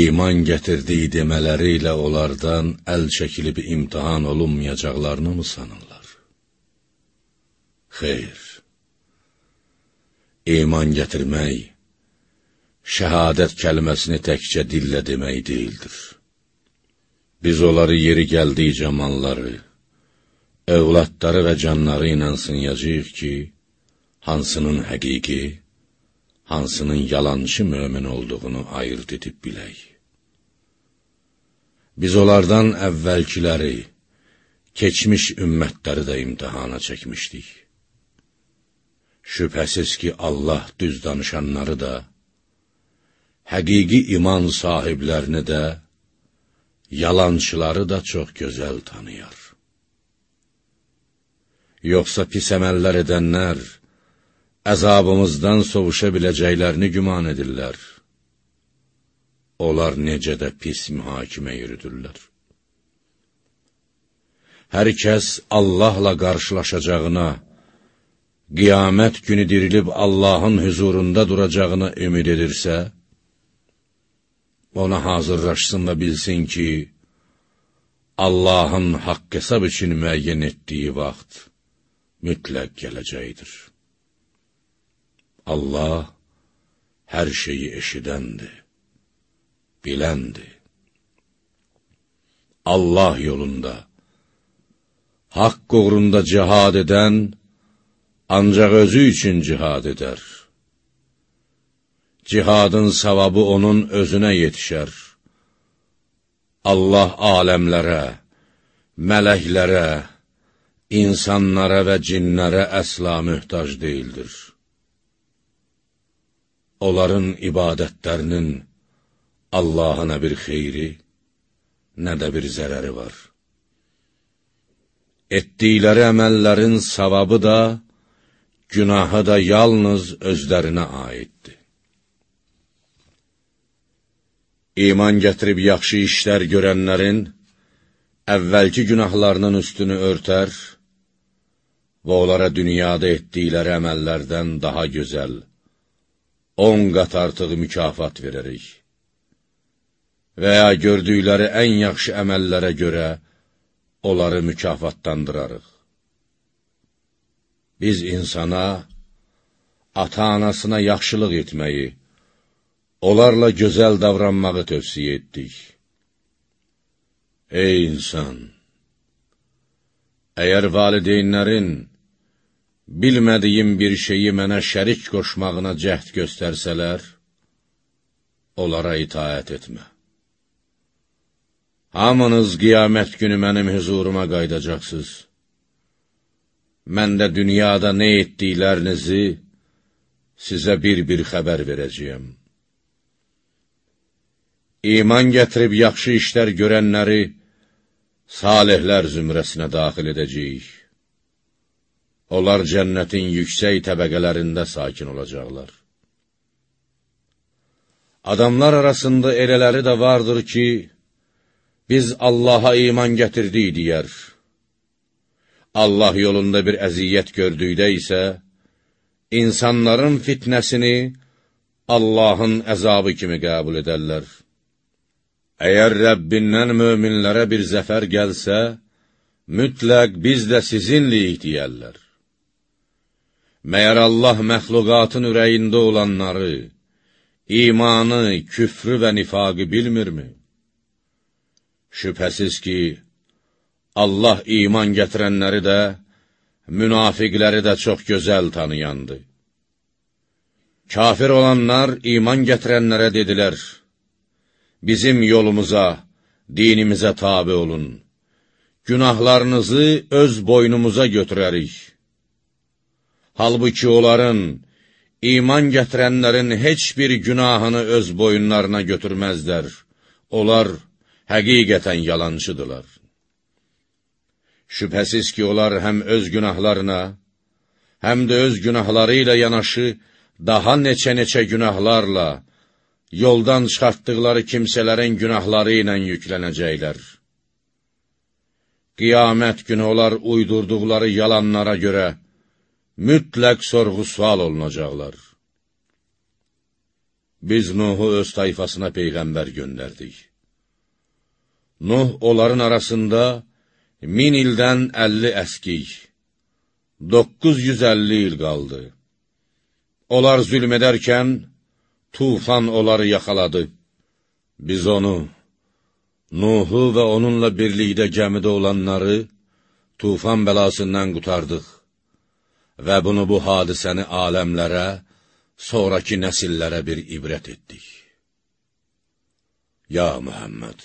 iman gətirdiyi demələri ilə onlardan əl çəkilib imtihan olunmayacaqlarını mı sanırlar? Xeyr. İman gətirmək, şəhadət kəlməsini təkcə dillə demək deyildir. Biz onları yeri gəldikcə malları, övladları və canları ilə sınayacağıq ki, hansının həqiqi, hansının yalançı mömin olduğunu ayırt edib bilək. Biz onlardan əvvəlkiləri, keçmiş ümmətləri də imtihana çəkmişdik. Şübhəsiz ki, Allah düz danışanları da, həqiqi iman sahiblərini də, yalançıları da çox gözəl tanıyar. Yoxsa pis əməllər edənlər, əzabımızdan sovuşa biləcəklərini güman edirlər. Onlar necə də pis mühakimə yürüdürlər. Hər kəs Allahla qarşılaşacağına, qiyamət günü dirilib Allahın huzurunda duracağına ümid edirsə, ona hazırlaşsın və bilsin ki, Allahın haqq hesab üçün müəyyən etdiyi vaxt mütləq gələcəkdir. Allah hər şeyi eşidəndir, biləndir. Allah yolunda, haqq uğrunda cihad edən, ancaq özü üçün cihad edər. Cihadın savabı onun özünə yetişər. Allah aləmlərə, mələklərə, insanlara və cinlərə əsla mühtac deyildir. Onların ibadətlərinin Allaha nə bir xeyri, nə də bir zərəri var. Etdikləri əməllərin savabı da, günahı da yalnız özlərinə aiddir. İman gətirib yaxşı işlər görənlərin, əvvəlki günahlarının üstünü örtər və onlara dünyada etdikləri əməllərdən daha gözəl, on qat artıq mükafat verərik. Və ya gördükləri ən yaxşı əməllərə görə onları mükafatlandırarıq. Biz insana, ata-anasına yaxşılıq etməyi, onlarla gözəl davranmağı tövsiyə etdik. Ey insan! Əgər valideynlərin bilmədiyim bir şeyi mənə şərik qoşmağına cəhd göstərsələr, onlara itaət etmə. Hamınız qiyamət günü mənim huzuruma qaydacaqsınız. Mən də dünyada nə etdiklərinizi sizə bir-bir xəbər verəcəyəm. İman gətirib yaxşı işlər görənləri salihlər zümrəsinə daxil edəcəyik. Onlar cənnətin yüksək təbəqələrində sakin olacaqlar. Adamlar arasında elələri də vardır ki, biz Allaha iman gətirdik deyər. Allah yolunda bir əziyyət gördükdə isə, insanların fitnəsini Allahın əzabı kimi qəbul edərlər. Əgər Rəbbindən möminlərə bir zəfər gəlsə, mütləq biz də sizinliyik deyərlər. Məyər Allah məxluqatın ürəyində olanları, imanı, küfrü və nifaqı bilmirmi? Şübhəsiz ki, Allah iman gətirənləri də, münafiqləri də çox gözəl tanıyandı. Kafir olanlar iman gətirənlərə dedilər, bizim yolumuza, dinimizə tabi olun, günahlarınızı öz boynumuza götürərik. Halbuki onların iman gətirənlərin heç bir günahını öz boyunlarına götürməzlər. Onlar həqiqətən yalancıdırlar. Şübhəsiz ki, onlar həm öz günahlarına, həm də öz günahları ilə yanaşı, daha neçə-neçə günahlarla, yoldan çıxartdıqları kimsələrin günahları ilə yüklənəcəklər. Qiyamət günü onlar uydurduqları yalanlara görə mütləq sorğu-sual olunacaqlar. Biz Nuhu öz tayfasına peyğəmbər göndərdik. Nuh onların arasında min ildən əlli əskik, doqquz yüz əlli il qaldı. Onlar zülm edərkən, tufan onları yaxaladı. Biz onu, Nuhu və onunla birlikdə gəmidə olanları tufan bəlasından qutardıq və bunu bu hadisəni aləmlərə, sonraki nəsillərə bir ibrət etdik. Ya Muhammed!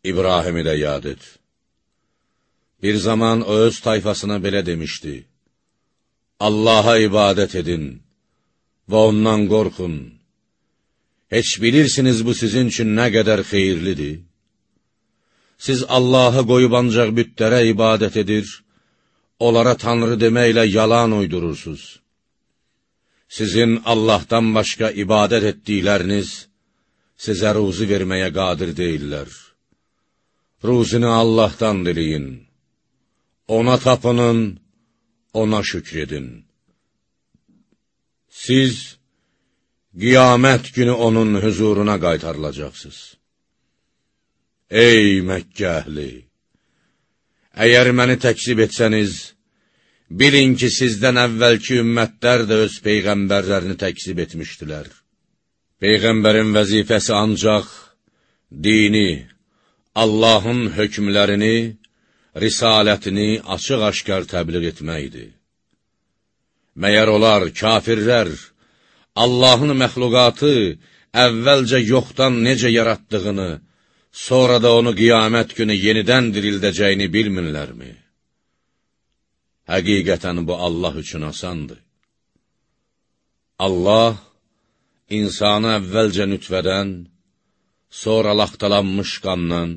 İbrahimi də yad et. Bir zaman o öz tayfasına belə demişdi: Allaha ibadət edin və ondan qorxun. Heç bilirsiniz bu sizin üçün nə qədər xeyirlidir? Siz Allahı qoyub ancaq bütlərə ibadət edir, onlara Tanrı deməklə yalan uydurursunuz. Sizin Allahdan başqa ibadət etdikləriniz sizə ruzi verməyə qadir deyirlər. Ruzini Allahdan diləyin. Ona tapının, ona şükr edin. Siz qiyamət günü onun huzuruna qaytarılacaqsınız. Ey Məkkə əhli! Əgər məni təkzib etsəniz, bilin ki, sizdən əvvəlki ümmətlər də öz peyğəmbərlərini təkzib etmişdilər. Peyğəmbərin vəzifəsi ancaq dini, Allahın hökmlərini, risalətini açıq-aşkar təbliğ etməkdir. Məyər onlar, kafirlər, Allahın məxluqatı əvvəlcə yoxdan necə yaratdığını, sonra da onu qiyamət günü yenidən dirildəcəyini bilmirlərmi? Həqiqətən bu Allah üçün asandır. Allah, insanı əvvəlcə nütvədən, sonra laxtalanmış qandan,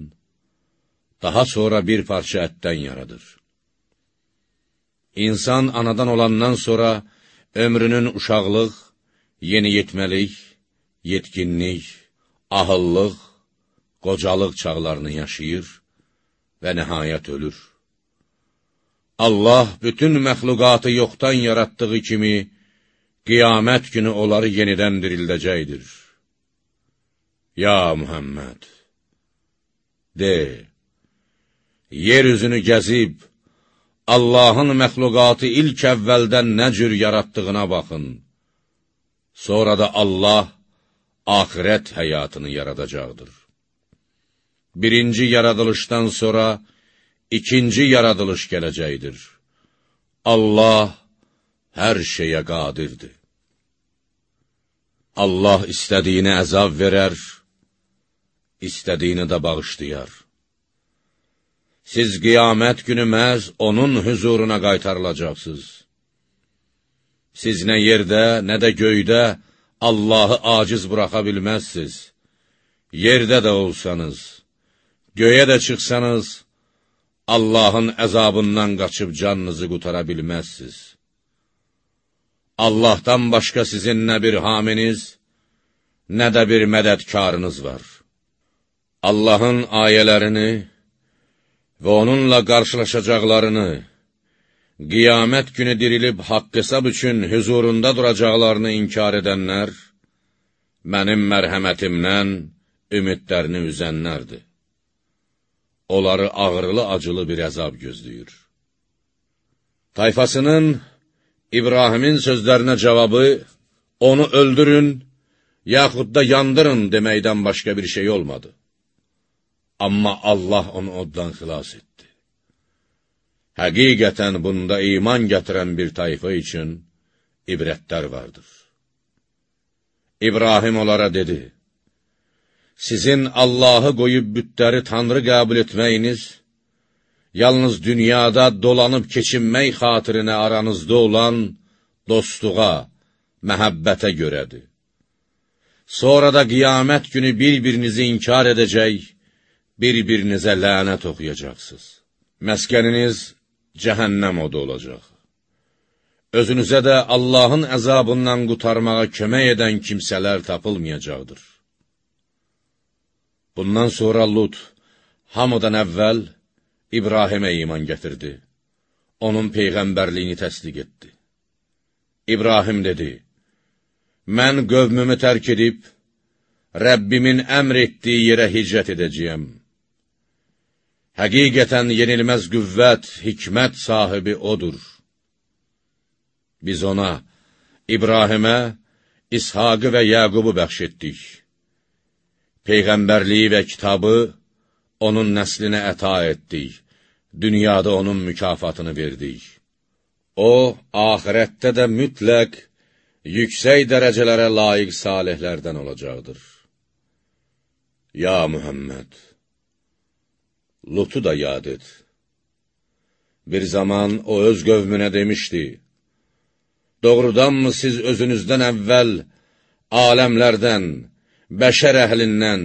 daha sonra bir parça ətdən yaradır. İnsan anadan olandan sonra ömrünün uşaqlıq, yeniyetməlik, yetkinlik, ahıllıq, qocalıq çağlarını yaşayır və nəhayət ölür. Allah bütün məxluqatı yoxdan yaratdığı kimi, qiyamət günü onları yenidən dirildəcəkdir. Ya Muhammed! De, yer üzünü gəzib, Allahın məxluqatı ilk əvvəldən nə cür yaratdığına baxın. Sonra da Allah axirət həyatını yaradacaqdır. Birinci yaradılışdan sonra ikinci yaradılış gələcəkdir. Allah hər şeyə qadirdir. Allah istədiyini əzab verər, istədiyini də bağışlayar. Siz qiyamət günü məhz onun huzuruna qaytarılacaqsınız. Siz nə yerdə, nə də göydə Allahı aciz buraxa bilməzsiniz. Yerdə də olsanız, göyə də çıxsanız, Allahın əzabından qaçıb canınızı qutara bilməzsiniz. Allahdan başqa sizin nə bir haminiz, nə də bir mədədkarınız var. Allahın ayələrini və onunla qarşılaşacaqlarını, qiyamət günü dirilib haqq hesab üçün huzurunda duracaqlarını inkar edənlər, mənim mərhəmətimdən ümidlərini üzənlərdir. Onları ağırlı-acılı bir əzab gözləyir. Tayfasının İbrahimin sözlərinə cavabı, onu öldürün, yaxud da yandırın deməkdən başqa bir şey olmadı. Amma Allah onu oddan xilas etdi. Həqiqətən bunda iman gətirən bir tayfa üçün ibrətlər vardır. İbrahim onlara dedi: Sizin Allahı qoyub bütləri Tanrı qəbul etməyiniz, yalnız dünyada dolanıb keçinmək xatirinə aranızda olan dostluğa, məhəbbətə görədir. Sonra da qiyamət günü bir-birinizi inkar edəcək, bir-birinizə lənət oxuyacaqsınız. Məskəniniz cəhənnəm odu olacaq. Özünüzə də Allahın əzabından qurtarmağa kömək edən kimsələr tapılmayacaqdır. Bundan sonra Lut, hamıdan əvvəl İbrahimə iman gətirdi. Onun peyğəmbərliyini təsdiq etdi. İbrahim dedi, mən qövmümü tərk edib, Rəbbimin əmr etdiyi yerə hicrət edəcəyəm. Həqiqətən yenilməz qüvvət, hikmət sahibi odur. Biz ona, İbrahimə, İshaqı və Yəqubu bəxş etdik. Peyğəmbərliyi və kitabı onun nəslinə əta etdik. Dünyada onun mükafatını verdik. O, ahirətdə də mütləq, yüksək dərəcələrə layiq salihlərdən olacaqdır. Ya Muhammed, Lutu da yad et. Bir zaman o öz qövmünə demişdi, doğrudanmı siz özünüzdən əvvəl aləmlərdən, bəşər əhlindən,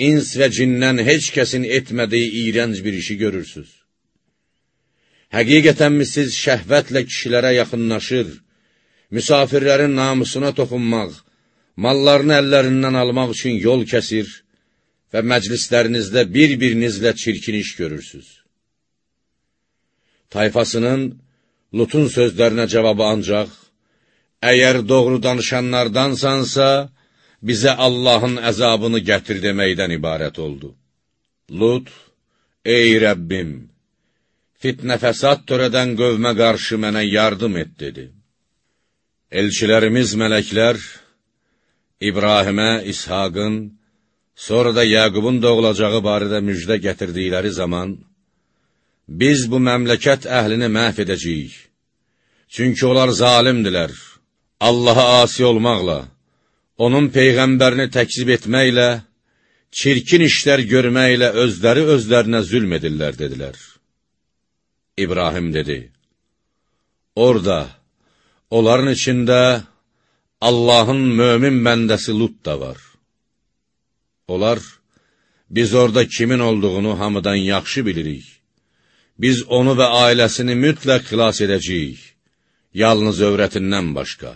ins və cindən heç kəsin etmədiyi iyrənc bir işi görürsünüz? Həqiqətənmi siz şəhvətlə kişilərə yaxınlaşır, müsafirlərin namusuna toxunmaq, mallarını əllərindən almaq üçün yol kəsir və məclislərinizdə bir-birinizlə çirkin iş görürsünüz? Tayfasının Lutun sözlərinə cavabı ancaq, əgər doğru danışanlardansansa, bizə Allahın əzabını gətir deməkdən ibarət oldu. Lut, ey Rəbbim, fitnə fəsad törədən qövmə qarşı mənə yardım et, dedi. Elçilərimiz mələklər, İbrahimə, İshaqın, sonra da Yəqubun doğulacağı barədə müjdə gətirdikləri zaman, biz bu məmləkət əhlini məhv edəcəyik. Çünki onlar zalimdilər, Allaha asi olmaqla, onun peyğəmbərini təkzib etməklə, çirkin işlər görməklə özləri özlərinə zülm edirlər, dedilər. İbrahim dedi, orada, onların içində Allahın mömin bəndəsi Lut da var. Onlar, biz orada kimin olduğunu hamıdan yaxşı bilirik. Biz onu və ailəsini mütləq xilas edəcəyik, yalnız övrətindən başqa.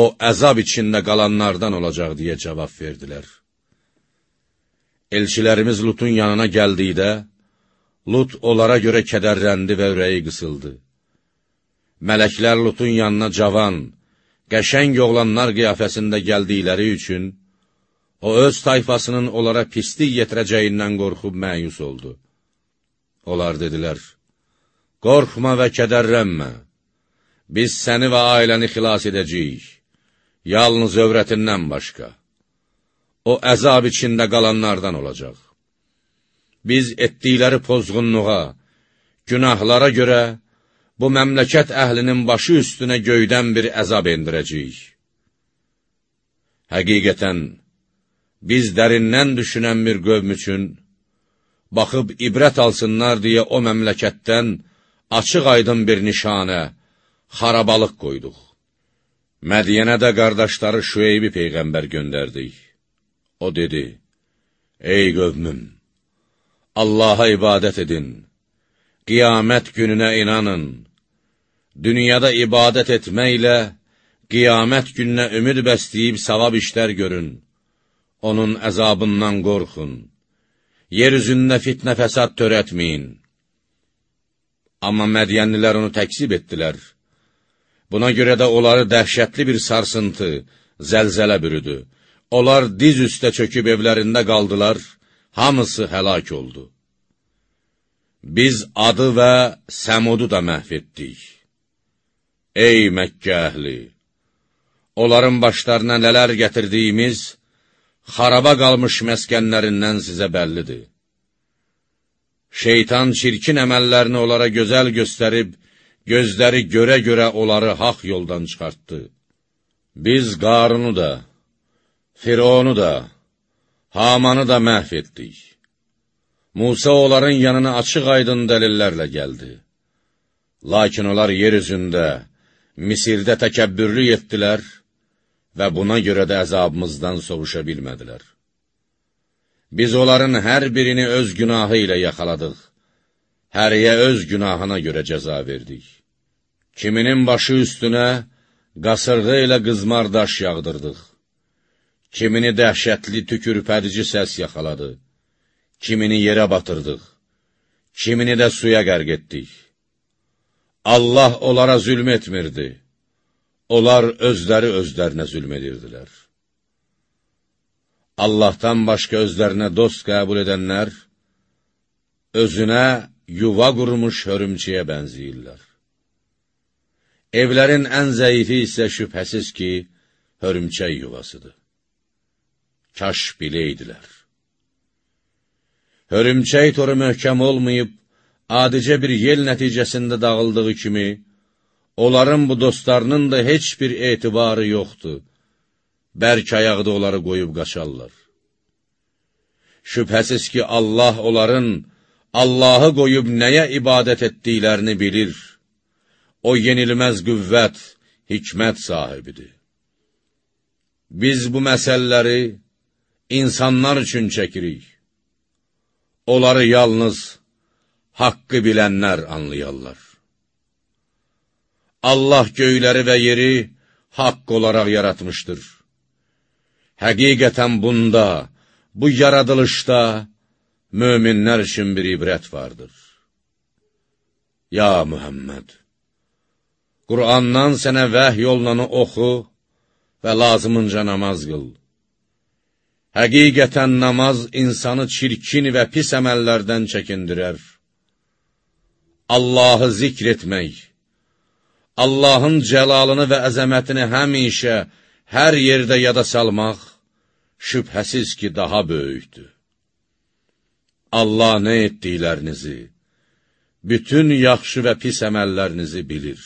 O, əzab içində qalanlardan olacaq, deyə cavab verdilər. Elçilərimiz Lutun yanına gəldikdə, Lut onlara görə kədərləndi və ürəyi qısıldı. Mələklər Lutun yanına cavan, qəşəng oğlanlar qiyafəsində gəldikləri üçün, o öz tayfasının onlara pislik yetirəcəyindən qorxub məyus oldu. Onlar dedilər, qorxma və kədərlənmə, biz səni və ailəni xilas edəcəyik, yalnız övrətindən başqa. O, əzab içində qalanlardan olacaq. Biz etdikləri pozğunluğa, günahlara görə bu məmləkət əhlinin başı üstünə göydən bir əzab endirəcəyik. Həqiqətən, biz dərindən düşünən bir qövm üçün, baxıb ibrət alsınlar deyə o məmləkətdən açıq aydın bir nişanə, xarabalıq qoyduq. Mədiyənə də qardaşları Şüeybi peyğəmbər göndərdik. O dedi, ey qövmüm, Allaha ibadət edin, qiyamət gününə inanın, dünyada ibadət etməklə, qiyamət gününə ümid bəsləyib savab işlər görün, onun əzabından qorxun, yer üzündə fitnə fəsad törətməyin. Amma Mədiyənlilər onu təksib etdilər. Buna görə də onları dəhşətli bir sarsıntı, zəlzələ bürüdü. Onlar diz üstə çöküb evlərində qaldılar, hamısı həlak oldu. Biz Adı və Səmudu da məhv etdik. Ey Məkkə əhli! Onların başlarına nələr gətirdiyimiz, xaraba qalmış məskənlərindən sizə bəllidir. Şeytan çirkin əməllərini onlara gözəl göstərib, gözləri görə-görə onları haq yoldan çıxartdı. Biz Qarunu da, Fironu da, Hamanı da məhv etdik. Musa onların yanına açıq aydın dəlillərlə gəldi. Lakin onlar yer üzündə, Misirdə təkəbbürlük etdilər və buna görə də əzabımızdan sovuşa bilmədilər. Biz onların hər birini öz günahı ilə yaxaladıq, həriyə öz günahına görə cəza verdik. Kiminin başı üstünə qasırğı ilə qızmar daş yağdırdıq. Kimini dəhşətli tükürpədici səs yaxaladı, kimini yerə batırdıq, kimini də suya qərq etdik. Allah onlara zülm etmirdi, onlar özləri özlərinə zülm edirdilər. Allahdan başqa özlərinə dost qəbul edənlər, özünə yuva qurmuş hörümçəyə bənziyirlər. Evlərin ən zəifi isə şübhəsiz ki, hörümçək yuvasıdır. Kaş biləydilər. Hörümçək toru möhkəm olmayıb, adicə bir yel nəticəsində dağıldığı kimi, onların bu dostlarının da heç bir etibarı yoxdur. Bərk ayaqda onları qoyub qaçarlar. Şübhəsiz ki, Allah onların Allahı qoyub nəyə ibadət etdiklərini bilir. O yenilməz qüvvət, hikmət sahibidir. Biz bu məsələləri insanlar üçün çəkirik. Onları yalnız haqqı bilənlər anlayarlar. Allah göyləri və yeri haqq olaraq yaratmışdır. Həqiqətən bunda, bu yaradılışda möminlər üçün bir ibrət vardır. Ya Muhammed, Qur'andan sənə vəhy yolunanı oxu və lazımınca namaz qıl. Həqiqətən namaz insanı çirkin və pis əməllərdən çəkindirər. Allahı zikr etmək, Allahın cəlalını və əzəmətini həmişə, hər yerdə yada salmaq, şübhəsiz ki, daha böyükdür. Allah nə etdiklərinizi, bütün yaxşı və pis əməllərinizi bilir.